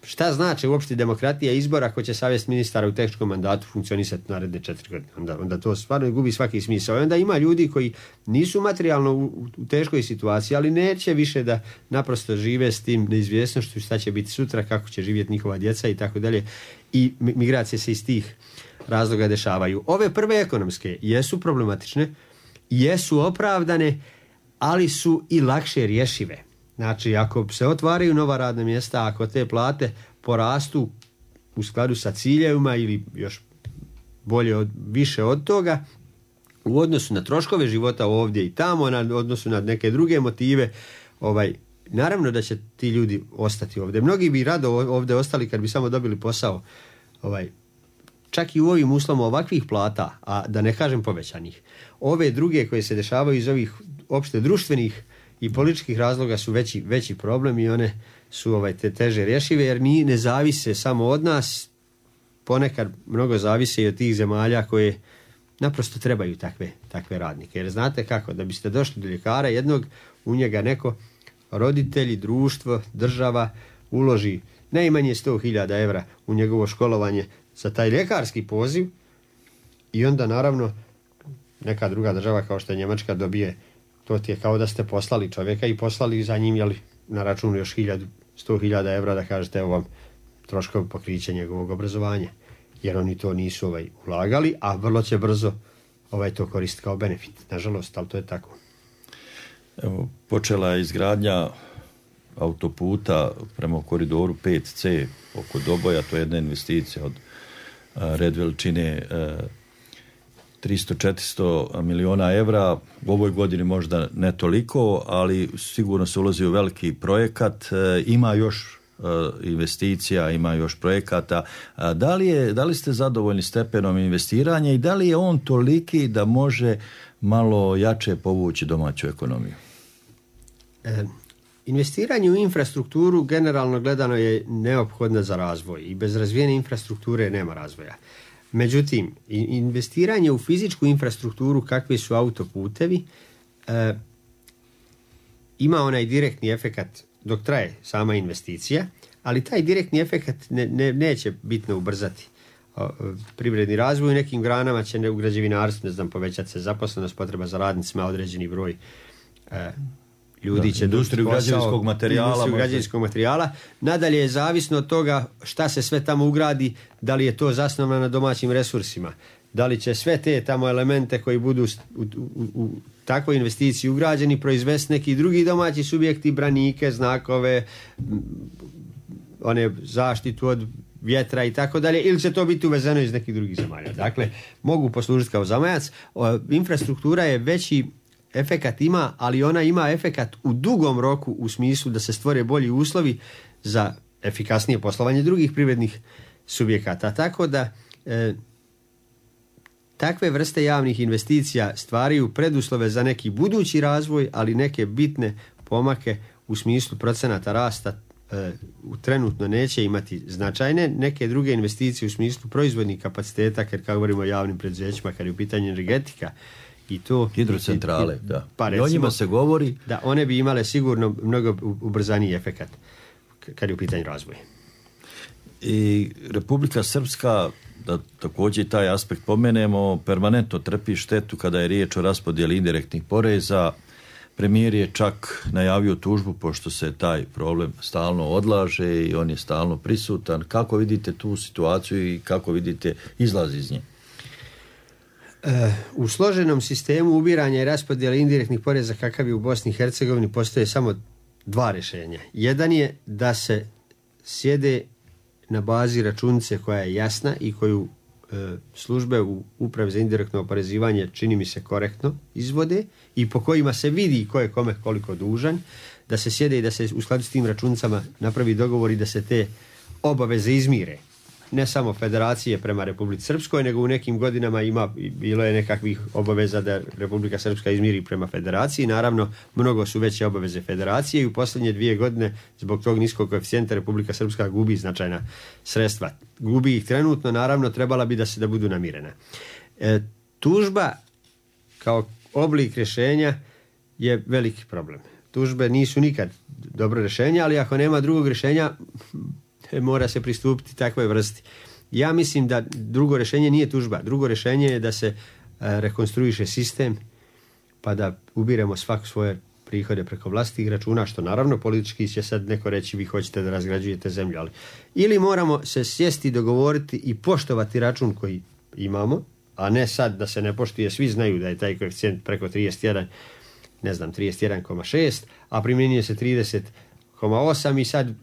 šta znači uopšte demokratija izbora ako će savjet ministara u tehničkom mandatu funkcionisati naredne 4 godine? Onda to stvarno gubi svaki smisao. I onda ima ljudi koji nisu materijalno u teškoj situaciji, ali neće više da naprosto žive s tim neizvjesnošću šta će biti sutra, kako će živjeti njihova djeca i tako dalje. I migracije se iz tih razloga dešavaju. Ove prve ekonomske jesu problematične, jesu opravdane, ali su i lakše rješive. Znači, ako se otvaraju nova radna mjesta, ako te plate porastu u skladu sa ciljevima ili još bolje više od toga, u odnosu na troškove života ovdje i tamo, na odnosu na neke druge motive, naravno da će ti ljudi ostati ovdje. Mnogi bi rado ovdje ostali kad bi samo dobili posao. Čak i u ovim uslovima ovakvih plata, a da ne kažem povećanih. Ove druge koje se dešavaju iz ovih opšte društvenih i političkih razloga su veći problem i one su teže rješive jer ne zavise samo od nas, ponekad mnogo zavise i od tih zemalja koje naprosto trebaju takve radnike. Jer znate kako, da biste došli do ljekara jednog, u njega neko, roditelji, društvo, država uloži najmanje 100.000 evra u njegovo školovanje za taj ljekarski poziv i onda naravno neka druga država kao što je Njemačka dobije, to ti je kao da ste poslali čovjeka i poslali za njim na računu još 100.000 evra da kažete evo vam troškovi pokrića njegovog obrazovanja. Jer oni to nisu ulagali, a vrlo će brzo to koristiti kao benefit. Nažalost, ali to je tako. Evo, počela je izgradnja autoputa prema koridoru 5C oko Doboja, to je jedna investicija od red veličine 300-400 miliona evra. U ovoj godini možda ne toliko, ali sigurno se ulazi u veliki projekat. Ima još investicija, ima još projekata. Da li ste zadovoljni stepenom investiranja i da li je on toliki da može malo jače povući domaću ekonomiju? Investiranje u infrastrukturu generalno gledano je neophodno za razvoj i bez razvijene infrastrukture nema razvoja. Međutim, investiranje u fizičku infrastrukturu kakvi su autoputevi ima onaj direktni efekat dok traje sama investicija, ali taj direktni efekat neće bitno ubrzati privredni razvoj. U nekim granama će u građevinarstvu, povećati se zaposlenost, potreba za radnicima, određeni broj ljudi će industriju građevinskog materijala. Nadalje je zavisno od toga šta se sve tamo ugradi, da li je to zasnovano na domaćim resursima, da li će sve te tamo elemente koji budu u takvoj investiciji ugrađeni proizvesti neki drugi domaći subjekti, branike, znakove, one zaštitu od vjetra i tako dalje, ili će to biti uvezeno iz nekih drugih zemalja. Dakle, mogu poslužiti kao zamajac. Infrastruktura je veći efekat ima, ali ona ima efekat u dugom roku u smislu da se stvore bolji uslovi za efikasnije poslovanje drugih privrednih subjekata. Tako da takve vrste javnih investicija stvaraju preduslove za neki budući razvoj, ali neke bitne pomake u smislu procenata rasta trenutno neće imati značajne. Neke druge investicije u smislu proizvodnih kapaciteta, jer kao govorimo o javnim preduzećima, kad je u pitanju energetika i to hidrocentrale, da. Pa recimo, i o njima se govori da one bi imale sigurno mnogo ubrzaniji efekat kad je u pitanju razvoja. I Republika Srpska, da također taj aspekt pomenemo, permanentno trpi štetu kada je riječ o raspodjeli indirektnih poreza. Premijer je čak najavio tužbu pošto se taj problem stalno odlaže i on je stalno prisutan. Kako vidite tu situaciju i kako vidite izlaz iz nje? U složenom sistemu ubiranja i raspodjele indirektnih poreza kakav je u Bosni i Hercegovini postoje samo dva rješenja. Jedan je da se sjede na bazi računice koja je jasna i koju službe u Upravi za indirektno oporezivanje čini mi se korektno izvode i po kojima se vidi ko je kome koliko dužan, da se sjede i da se u skladu s tim računicama napravi dogovor i da se te obaveze izmire. Ne samo federacije prema Republici Srpskoj, nego u nekim godinama bilo je nekakvih obaveza da Republika Srpska izmiri prema federaciji. Naravno, mnogo su veće obaveze federacije i u posljednje 2 godine zbog tog niskog koeficijenta Republika Srpska gubi značajna sredstva. Gubi ih trenutno, naravno, trebala bi da budu namirena. Tužba kao oblik rješenja je veliki problem. Tužbe nisu nikad dobro rješenje, ali ako nema drugog rješenja, mora se pristupiti takvoj vrsti. Ja mislim da drugo rješenje nije tužba. Drugo rješenje je da se rekonstruiše sistem, pa da ubiremo svak svoje prihode preko vlastitih računa, što naravno politički će sad neko reći vi hoćete da razgrađujete zemlju, ali ili moramo se sjesti, dogovoriti i poštovati račun koji imamo, a ne sad da se ne poštuje, svi znaju da je taj koeficijent preko 31,6, a primjenjuje se 30,8 i sad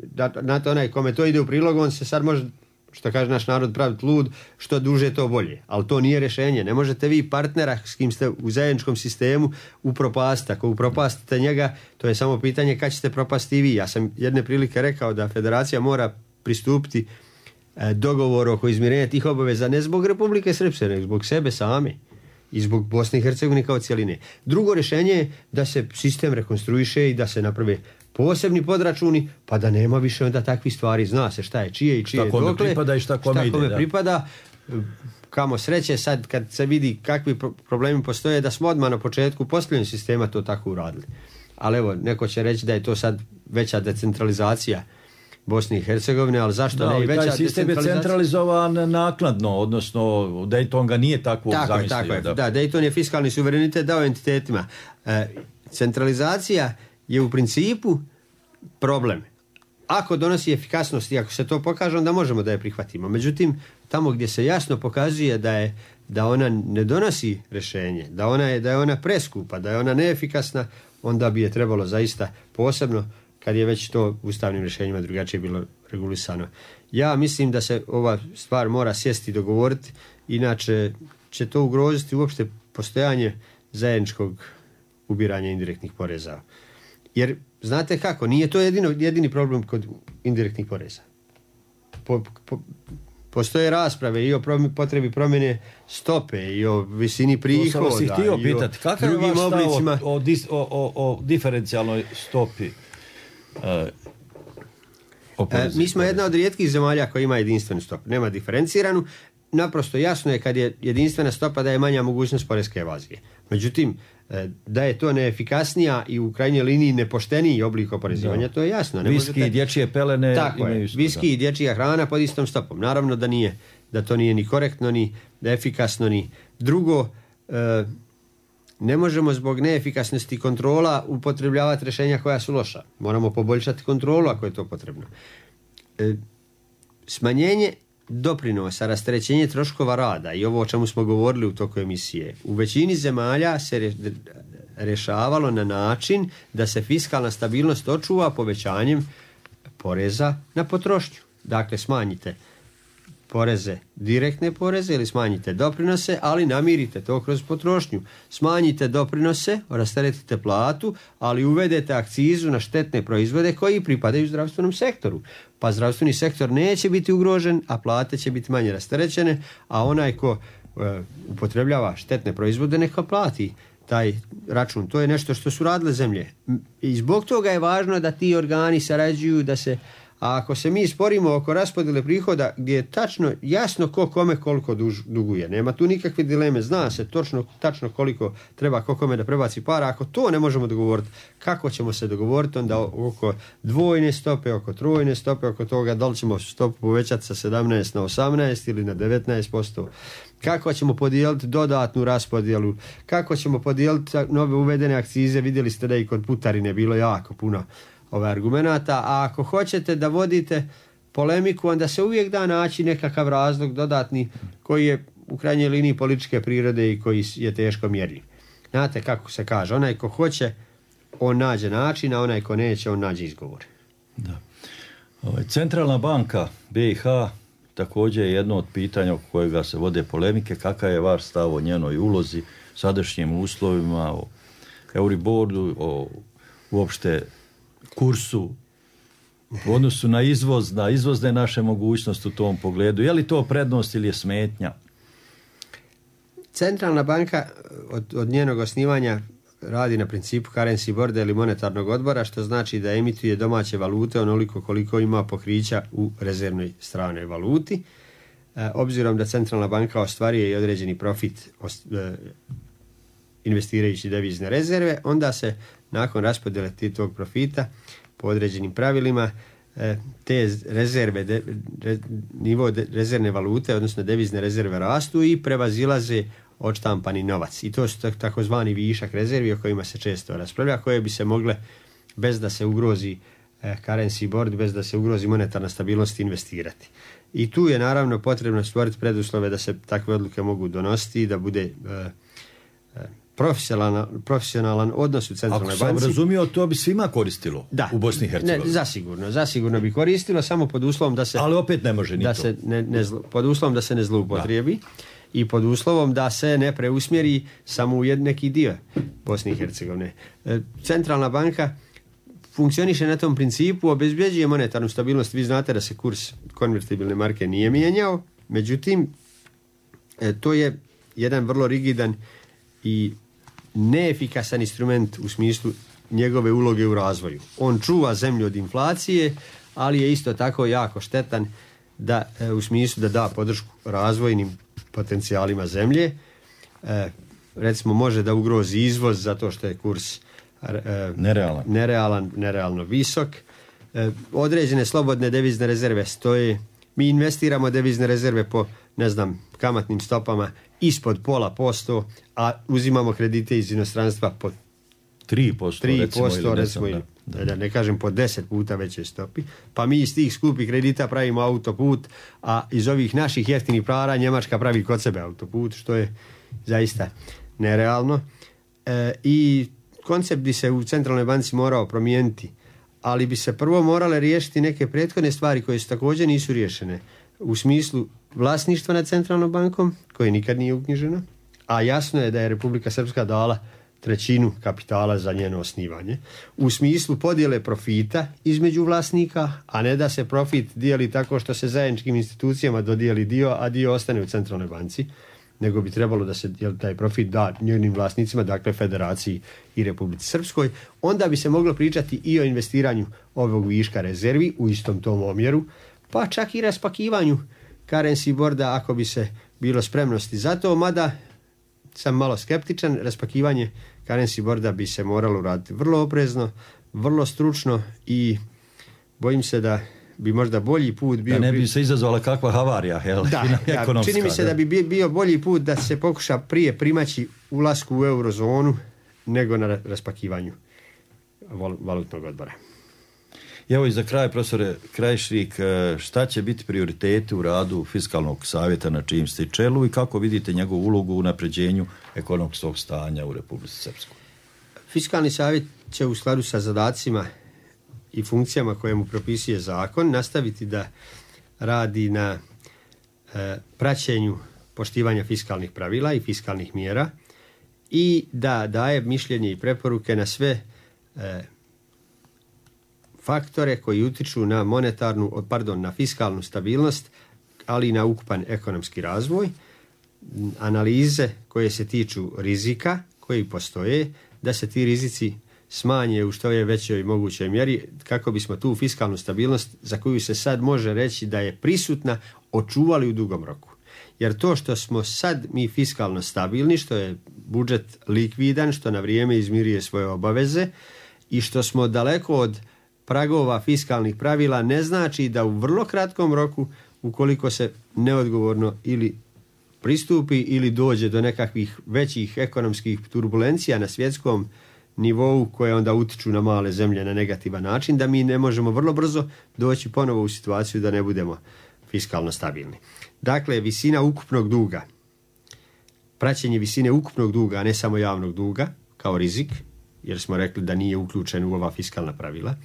na to onaj kome to ide u prilog, on se sad može, što kaže naš narod, praviti lud, što duže to bolje. Ali to nije rješenje. Ne možete vi partnera s kim ste u zajedničkom sistemu upropastiti. Ako upropastite njega, to je samo pitanje kad ćete propasti i vi. Ja sam jedne prilike rekao da federacija mora pristupiti dogovoru oko izmirenja tih obaveza ne zbog Republike Srpske, nego zbog sebe same i zbog Bosne i Hercegovine kao cijeline. Drugo rješenje je da se sistem rekonstruiše i da se naprave posebni podračuni, pa da nema više onda takvih stvari. Zna se šta je čije i čije šta kome pripada i šta kome ide. Pripada. Kamo sreće sad kad se vidi kakvi problemi postoje, da smo odmah na početku postavljanja sistema to tako uradili. Ali evo, neko će reći da je to sad veća decentralizacija Bosne i Hercegovine, ali zašto ne i veća decentralizacija? Taj sistem je centralizovan naknadno, odnosno Dayton ga nije tako zamislio. Tako je. Da, Dayton je fiskalni suverenitet dao entitetima. Centralizacija je u principu problem. Ako donosi efikasnost i ako se to pokaže, onda možemo da je prihvatimo. Međutim, tamo gdje se jasno pokazuje da ona ne donosi rješenje, da je ona preskupa, da je ona neefikasna, onda bi je trebalo zaista posebno, kad je već to ustavnim rješenjima drugačije bilo regulisano. Ja mislim da se ova stvar mora sjesti i dogovoriti, inače će to ugroziti uopšte postojanje zajedničkog ubiranja indirektnih poreza. Jer, znate kako, nije to jedini problem kod indirektnih poreza. Postoje rasprave i o potrebi promjene stope i o visini prihoda. To sam vas i htio pitati, kakav je vaš stav o diferencijalnoj stopi? Mi smo jedna od rijetkih zemalja koja ima jedinstvenu stopu. Nema diferenciranu. Naprosto jasno je kad je jedinstvena stopa da je manja mogućnost poreske evazije. Međutim, da je to neefikasnija i u krajnjoj liniji nepošteniji oblik oporezivanja, to je jasno. Viski i dječje pelene. Tako je, viski i dječja hrana pod istom stopom. Naravno da to nije ni korektno, ni efikasno, ni drugo. ne možemo zbog neefikasnosti kontrola upotrebljavati rješenja koja su loša. Moramo poboljšati kontrolu ako je to potrebno. Smanjenje doprinosa, rasterećenje troškova rada i ovo o čemu smo govorili u toku emisije, u većini zemalja se rješavalo na način da se fiskalna stabilnost očuva povećanjem poreza na potrošnju. Dakle, smanjite poreze, direktne poreze ili smanjite doprinose, ali namirite to kroz potrošnju. Smanjite doprinose, rasteretite platu, ali uvedete akcizu na štetne proizvode koji pripadaju zdravstvenom sektoru. Pa zdravstveni sektor neće biti ugrožen, a plate će biti manje rasterećene, a onaj ko upotrebljava štetne proizvode neka plati taj račun. To je nešto što su radile zemlje. I zbog toga je važno da ti organi sarađuju, da se, a ako se mi sporimo oko raspodjele prihoda gdje je tačno jasno ko kome koliko duguje, nema tu nikakve dileme, zna se tačno koliko treba ko kome da prebaci para. Ako to ne možemo dogovoriti, kako ćemo se dogovoriti onda oko dvojne stope, oko trojne stope, oko toga da li ćemo stopu povećati sa 17 na 18 ili na 19%. Kako ćemo podijeliti dodatnu raspodjelu, kako ćemo podijeliti nove uvedene akcize. Vidjeli ste da i kod putarine bilo jako puno argumenata, a ako hoćete da vodite polemiku, onda se uvijek da naći nekakav razlog dodatni koji je u krajnjoj liniji političke prirode i koji je teško mjerljiv. Znate kako se kaže, onaj ko hoće, on nađe način, a onaj ko neće, on nađe izgovor. Da. Centralna banka BiH također je jedno od pitanja oko kojega se vode polemike. Kakav je vaš stav o njenoj ulozi, sadašnjim uslovima, o Euriboru, o uopšte kursu u odnosu na izvoz, na izvozne naše mogućnosti u tom pogledu? Je li to prednost ili je smetnja? Centralna banka od njenog osnivanja radi na principu currency boarda ili monetarnog odbora, što znači da emituje domaće valute onoliko koliko ima pokrića u rezervnoj stranoj valuti. Obzirom da centralna banka ostvaruje i određeni profit investirajući devizne rezerve, onda se nakon raspodjele tog profita po određenim pravilima te rezerve, nivo rezervne valute, odnosno devizne rezerve rastu i prevazilaze odštampani novac. I to su takozvani višak rezervi o kojima se često raspravlja, koje bi se mogle, bez da se ugrozi currency board, bez da se ugrozi monetarna stabilnost, investirati. I tu je naravno potrebno stvoriti preduslove da se takve odluke mogu donositi i da bude profesionalan odnos u centralnoj banci. Ako sam razumio, to bi svima koristilo u Bosni i Hercegovini. Zasigurno bi koristilo, samo pod uslovom da se... Ali opet ne može ni da to. Se pod uslovom da se ne zloupotrijebi i pod uslovom da se ne preusmjeri samo u neki dio Bosne i Hercegovine. Centralna banka funkcioniše na tom principu, obezbjeđuje monetarnu stabilnost. Vi znate da se kurs konvertibilne marke nije mijenjao, međutim, to je jedan vrlo rigidan i neefikasan instrument u smislu njegove uloge u razvoju. On čuva zemlju od inflacije, ali je isto tako jako štetan u smislu da da podršku razvojnim potencijalima zemlje. Recimo može da ugrozi izvoz zato što je kurs nerealno visok. Određene slobodne devizne rezerve stoje. Mi investiramo devizne rezerve po, kamatnim stopama ispod 0,5%, a uzimamo kredite iz inostranstva po 3%, recimo, da ne kažem po 10 puta većoj stopi. Pa mi iz tih skupih kredita pravimo autoput, a iz ovih naših jeftinih para Njemačka pravi kod sebe autoput, što je zaista nerealno. I koncept bi se u centralnoj banci morao promijeniti, ali bi se prvo morale riješiti neke prethodne stvari koje su također nisu riješene. U smislu vlasništva nad centralnom bankom, koje nikad nije uknjiženo, a jasno je da je Republika Srpska dala 1/3 kapitala za njeno osnivanje. U smislu podjele profita između vlasnika, a ne da se profit dijeli tako što se zajedničkim institucijama dodijeli dio, a dio ostane u centralnoj banci, nego bi trebalo da se taj profit da njenim vlasnicima, dakle Federaciji i Republici Srpskoj. Onda bi se moglo pričati i o investiranju ovog viška rezervi u istom tom omjeru, pa čak i raspakivanju currency boarda ako bi se bilo spremnosti za to, mada sam malo skeptičan. Raspakivanje currency boarda bi se moralo raditi vrlo oprezno, vrlo stručno i bojim se da bi možda bolji put bio... Da ne bi se izazvala kakva havarija, ekonomska. Čini mi se da bi bio bolji put da se pokuša prije primaći ulasku u eurozonu nego na raspakivanju valutnog odbora. Evo i za kraj, profesore Krajišnik, šta će biti prioriteti u radu Fiskalnog savjeta na čijim ste čelu i kako vidite njegovu ulogu u unapređenju ekonomskog stanja u Republici Srpskoj? Fiskalni savjet će u skladu sa zadacima i funkcijama koje mu propisuje zakon nastaviti da radi na praćenju poštivanja fiskalnih pravila i fiskalnih mjera i da daje mišljenje i preporuke na sve faktore koji utiču na na fiskalnu stabilnost, ali i na ukupan ekonomski razvoj, analize koje se tiču rizika koji postoje, da se ti rizici smanje u što je većoj mogućoj mjeri kako bismo tu fiskalnu stabilnost za koju se sad može reći da je prisutna očuvali u dugom roku. Jer to što smo sad mi fiskalno stabilni, što je budžet likvidan, što na vrijeme izmiruje svoje obaveze i što smo daleko od pragova fiskalnih pravila ne znači da u vrlo kratkom roku, ukoliko se neodgovorno ili pristupi ili dođe do nekakvih većih ekonomskih turbulencija na svjetskom nivou koje onda utiču na male zemlje na negativan način, da mi ne možemo vrlo brzo doći ponovo u situaciju da ne budemo fiskalno stabilni. Dakle, visina ukupnog duga, praćenje visine ukupnog duga, a ne samo javnog duga, kao rizik, jer smo rekli da nije uključen u ova fiskalna pravila,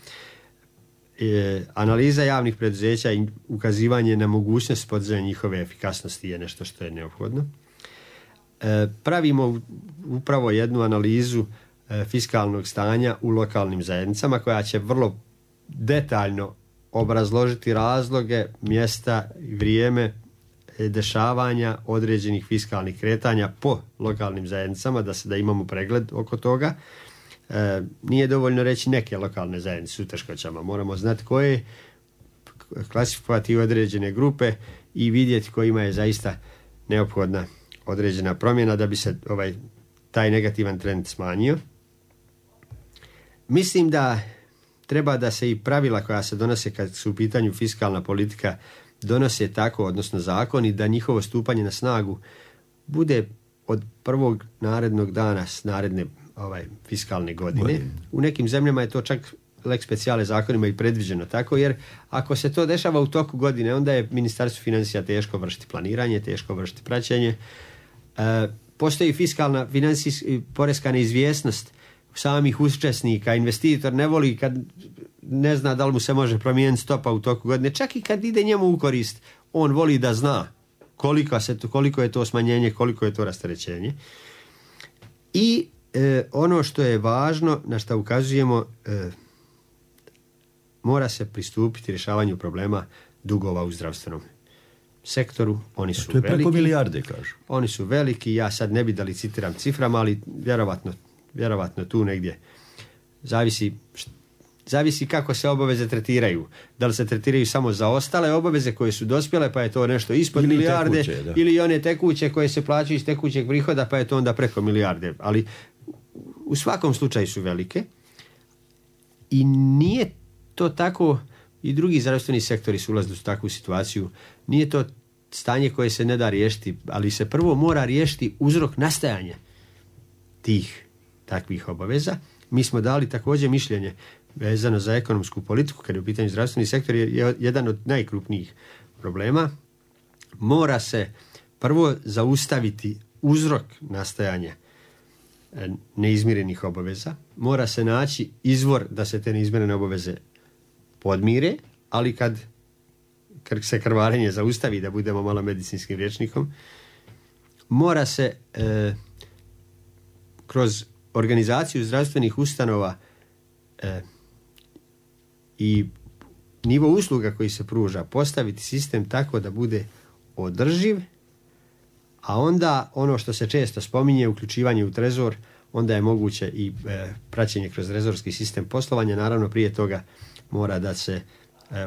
analiza javnih preduzeća i ukazivanje na mogućnost podizanja njihove efikasnosti je nešto što je neophodno. Pravimo upravo jednu analizu fiskalnog stanja u lokalnim zajednicama koja će vrlo detaljno obrazložiti razloge, mjesta i vrijeme dešavanja određenih fiskalnih kretanja po lokalnim zajednicama, da imamo pregled oko toga. Nije dovoljno reći neke lokalne zajednice su u teškoćama. Moramo znati koje, klasifikovati određene grupe i vidjeti kojima je zaista neophodna određena promjena da bi se taj negativan trend smanjio. Mislim da treba da se i pravila koja se donose kad su u pitanju fiskalna politika donose tako, odnosno zakoni, da njihovo stupanje na snagu bude od prvog narednog dana s naredne fiskalne godine. U nekim zemljama je to čak lex speciale zakonima i predviđeno tako, jer ako se to dešava u toku godine, onda je Ministarstvu financija teško vršiti planiranje, teško vršiti praćenje. Postoji fiskalna, poreska neizvjesnost samih učesnika. Investitor ne voli kad ne zna da li mu se može promijeniti stopa u toku godine. Čak i kad ide njemu u korist, on voli da zna koliko je to smanjenje, koliko je to rasterećenje. I ono što je važno, na što ukazujemo, mora se pristupiti rješavanju problema dugova u zdravstvenom sektoru. Oni su to je veliki. Preko milijarde, kažu. Oni su veliki, ja sad ne bi da licitiram ciframa, ali vjerovatno tu negdje zavisi kako se obaveze tretiraju. Da li se tretiraju samo za ostale obaveze koje su dospjele, pa je to nešto ispod ili milijarde, tekuće, ili one tekuće koje se plaćaju iz tekućeg prihoda, pa je to onda preko milijarde. Ali u svakom slučaju su velike i nije to tako, i drugi zdravstveni sektori su ulazili u takvu situaciju, nije to stanje koje se ne da riješiti, ali se prvo mora riješiti uzrok nastajanja tih takvih obaveza. Mi smo dali također mišljenje vezano za ekonomsku politiku, kad je u pitanju zdravstveni sektor, je jedan od najkrupnijih problema. Mora se prvo zaustaviti uzrok nastajanja neizmirenih obaveza, mora se naći izvor da se te neizmirene obaveze podmire, ali kad se krvarenje zaustavi, da budemo malo medicinskim rječnikom, mora se kroz organizaciju zdravstvenih ustanova i nivo usluga koji se pruža postaviti sistem tako da bude održiv, a onda ono što se često spominje, uključivanje u trezor, onda je moguće i praćenje kroz trezorski sistem poslovanja. Naravno, prije toga mora da se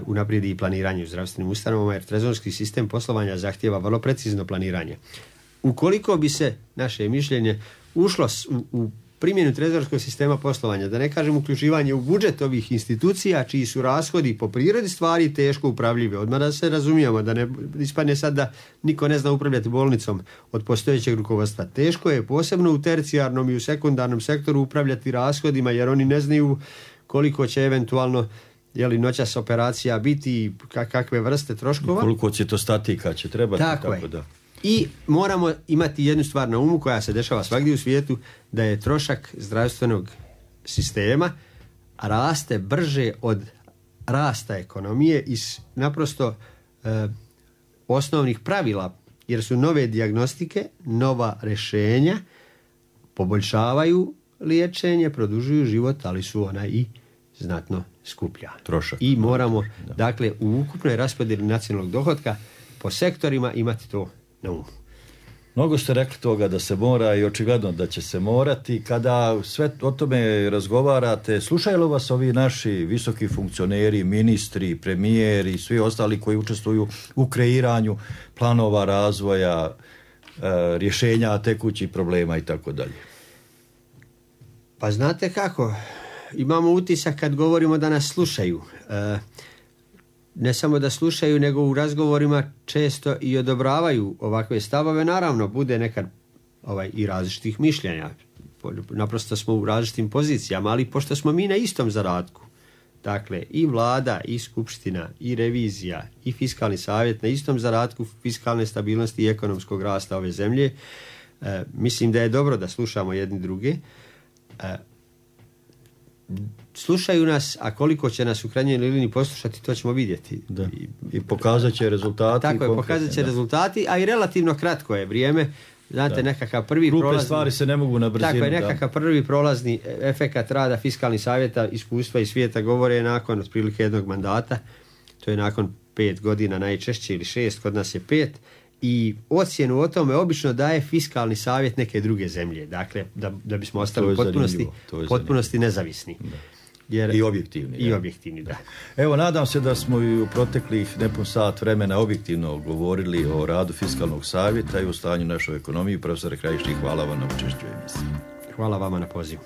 unaprijedi i planiranje u zdravstvenim ustanovama, jer trezorski sistem poslovanja zahtijeva vrlo precizno planiranje. Ukoliko bi se, naše mišljenje, ušlo u primjenu trezorskog sistema poslovanja, da ne kažem uključivanje u budžet ovih institucija čiji su rashodi po prirodi stvari teško upravljivi. Odmah da se razumijemo, da ne ispadne sad da niko ne zna upravljati bolnicom od postojećeg rukovodstva. Teško je posebno u tercijarnom i u sekundarnom sektoru upravljati rashodima, jer oni ne znaju koliko će eventualno noćas operacija biti, kakve vrste troškova. Koliko citostatika će trebati. Tako da. I moramo imati jednu stvar na umu koja se dešava svagdje u svijetu, da je trošak zdravstvenog sistema raste brže od rasta ekonomije iz naprosto osnovnih pravila, jer su nove dijagnostike, nova rješenja poboljšavaju liječenje, produžuju život, ali su ona i znatno skuplja. Trošak. I moramo, dakle, u ukupnoj raspodjeli nacionalnog dohotka po sektorima imati to na umu. Mnogo ste rekli toga da se mora i očigledno da će se morati. Kada sve o tome razgovarate, slušaju li vas ovi naši visoki funkcioneri, ministri, premijeri i svi ostali koji učestvuju u kreiranju planova razvoja, rješenja tekućih problema i tako dalje? Pa znate kako, imamo utisak kad govorimo da nas slušaju. Ne samo da slušaju, nego u razgovorima često i odobravaju ovakve stavove. Naravno, bude nekad i različitih mišljenja. Naprosto smo u različitim pozicijama, ali pošto smo mi na istom zadatku, dakle i vlada, i skupština, i revizija, i fiskalni savjet na istom zadatku fiskalne stabilnosti i ekonomskog rasta ove zemlje, mislim da je dobro da slušamo jedni druge. Slušaju nas, a koliko će nas u krajnjoj liniji poslušati, to ćemo vidjeti. Da. I pokazat će rezultati. Tako je, pokazat će rezultati, a i relativno kratko je vrijeme. Znate, nekakav prvi prolazni... stvari se ne mogu na brzinu. Tako je, nekakav prvi prolazni efekat rada fiskalnih savjeta, iskustva iz svijeta govore nakon otprilike jednog mandata. To je nakon 5 godina najčešće ili 6, kod nas je 5. I ocjenu o tome obično daje fiskalni savjet neke druge zemlje. Dakle, da bismo ostali u potpunosti nezavisni. Da. Jer, I objektivni. I objektivni, da. Evo, nadam se da smo i u proteklih nepun sat vremena objektivno govorili o radu fiskalnog savjeta i o stanju našoj ekonomiji. Profesore Krajišnik, hvala vam na učešću u emisiji. Hvala vama na pozivu.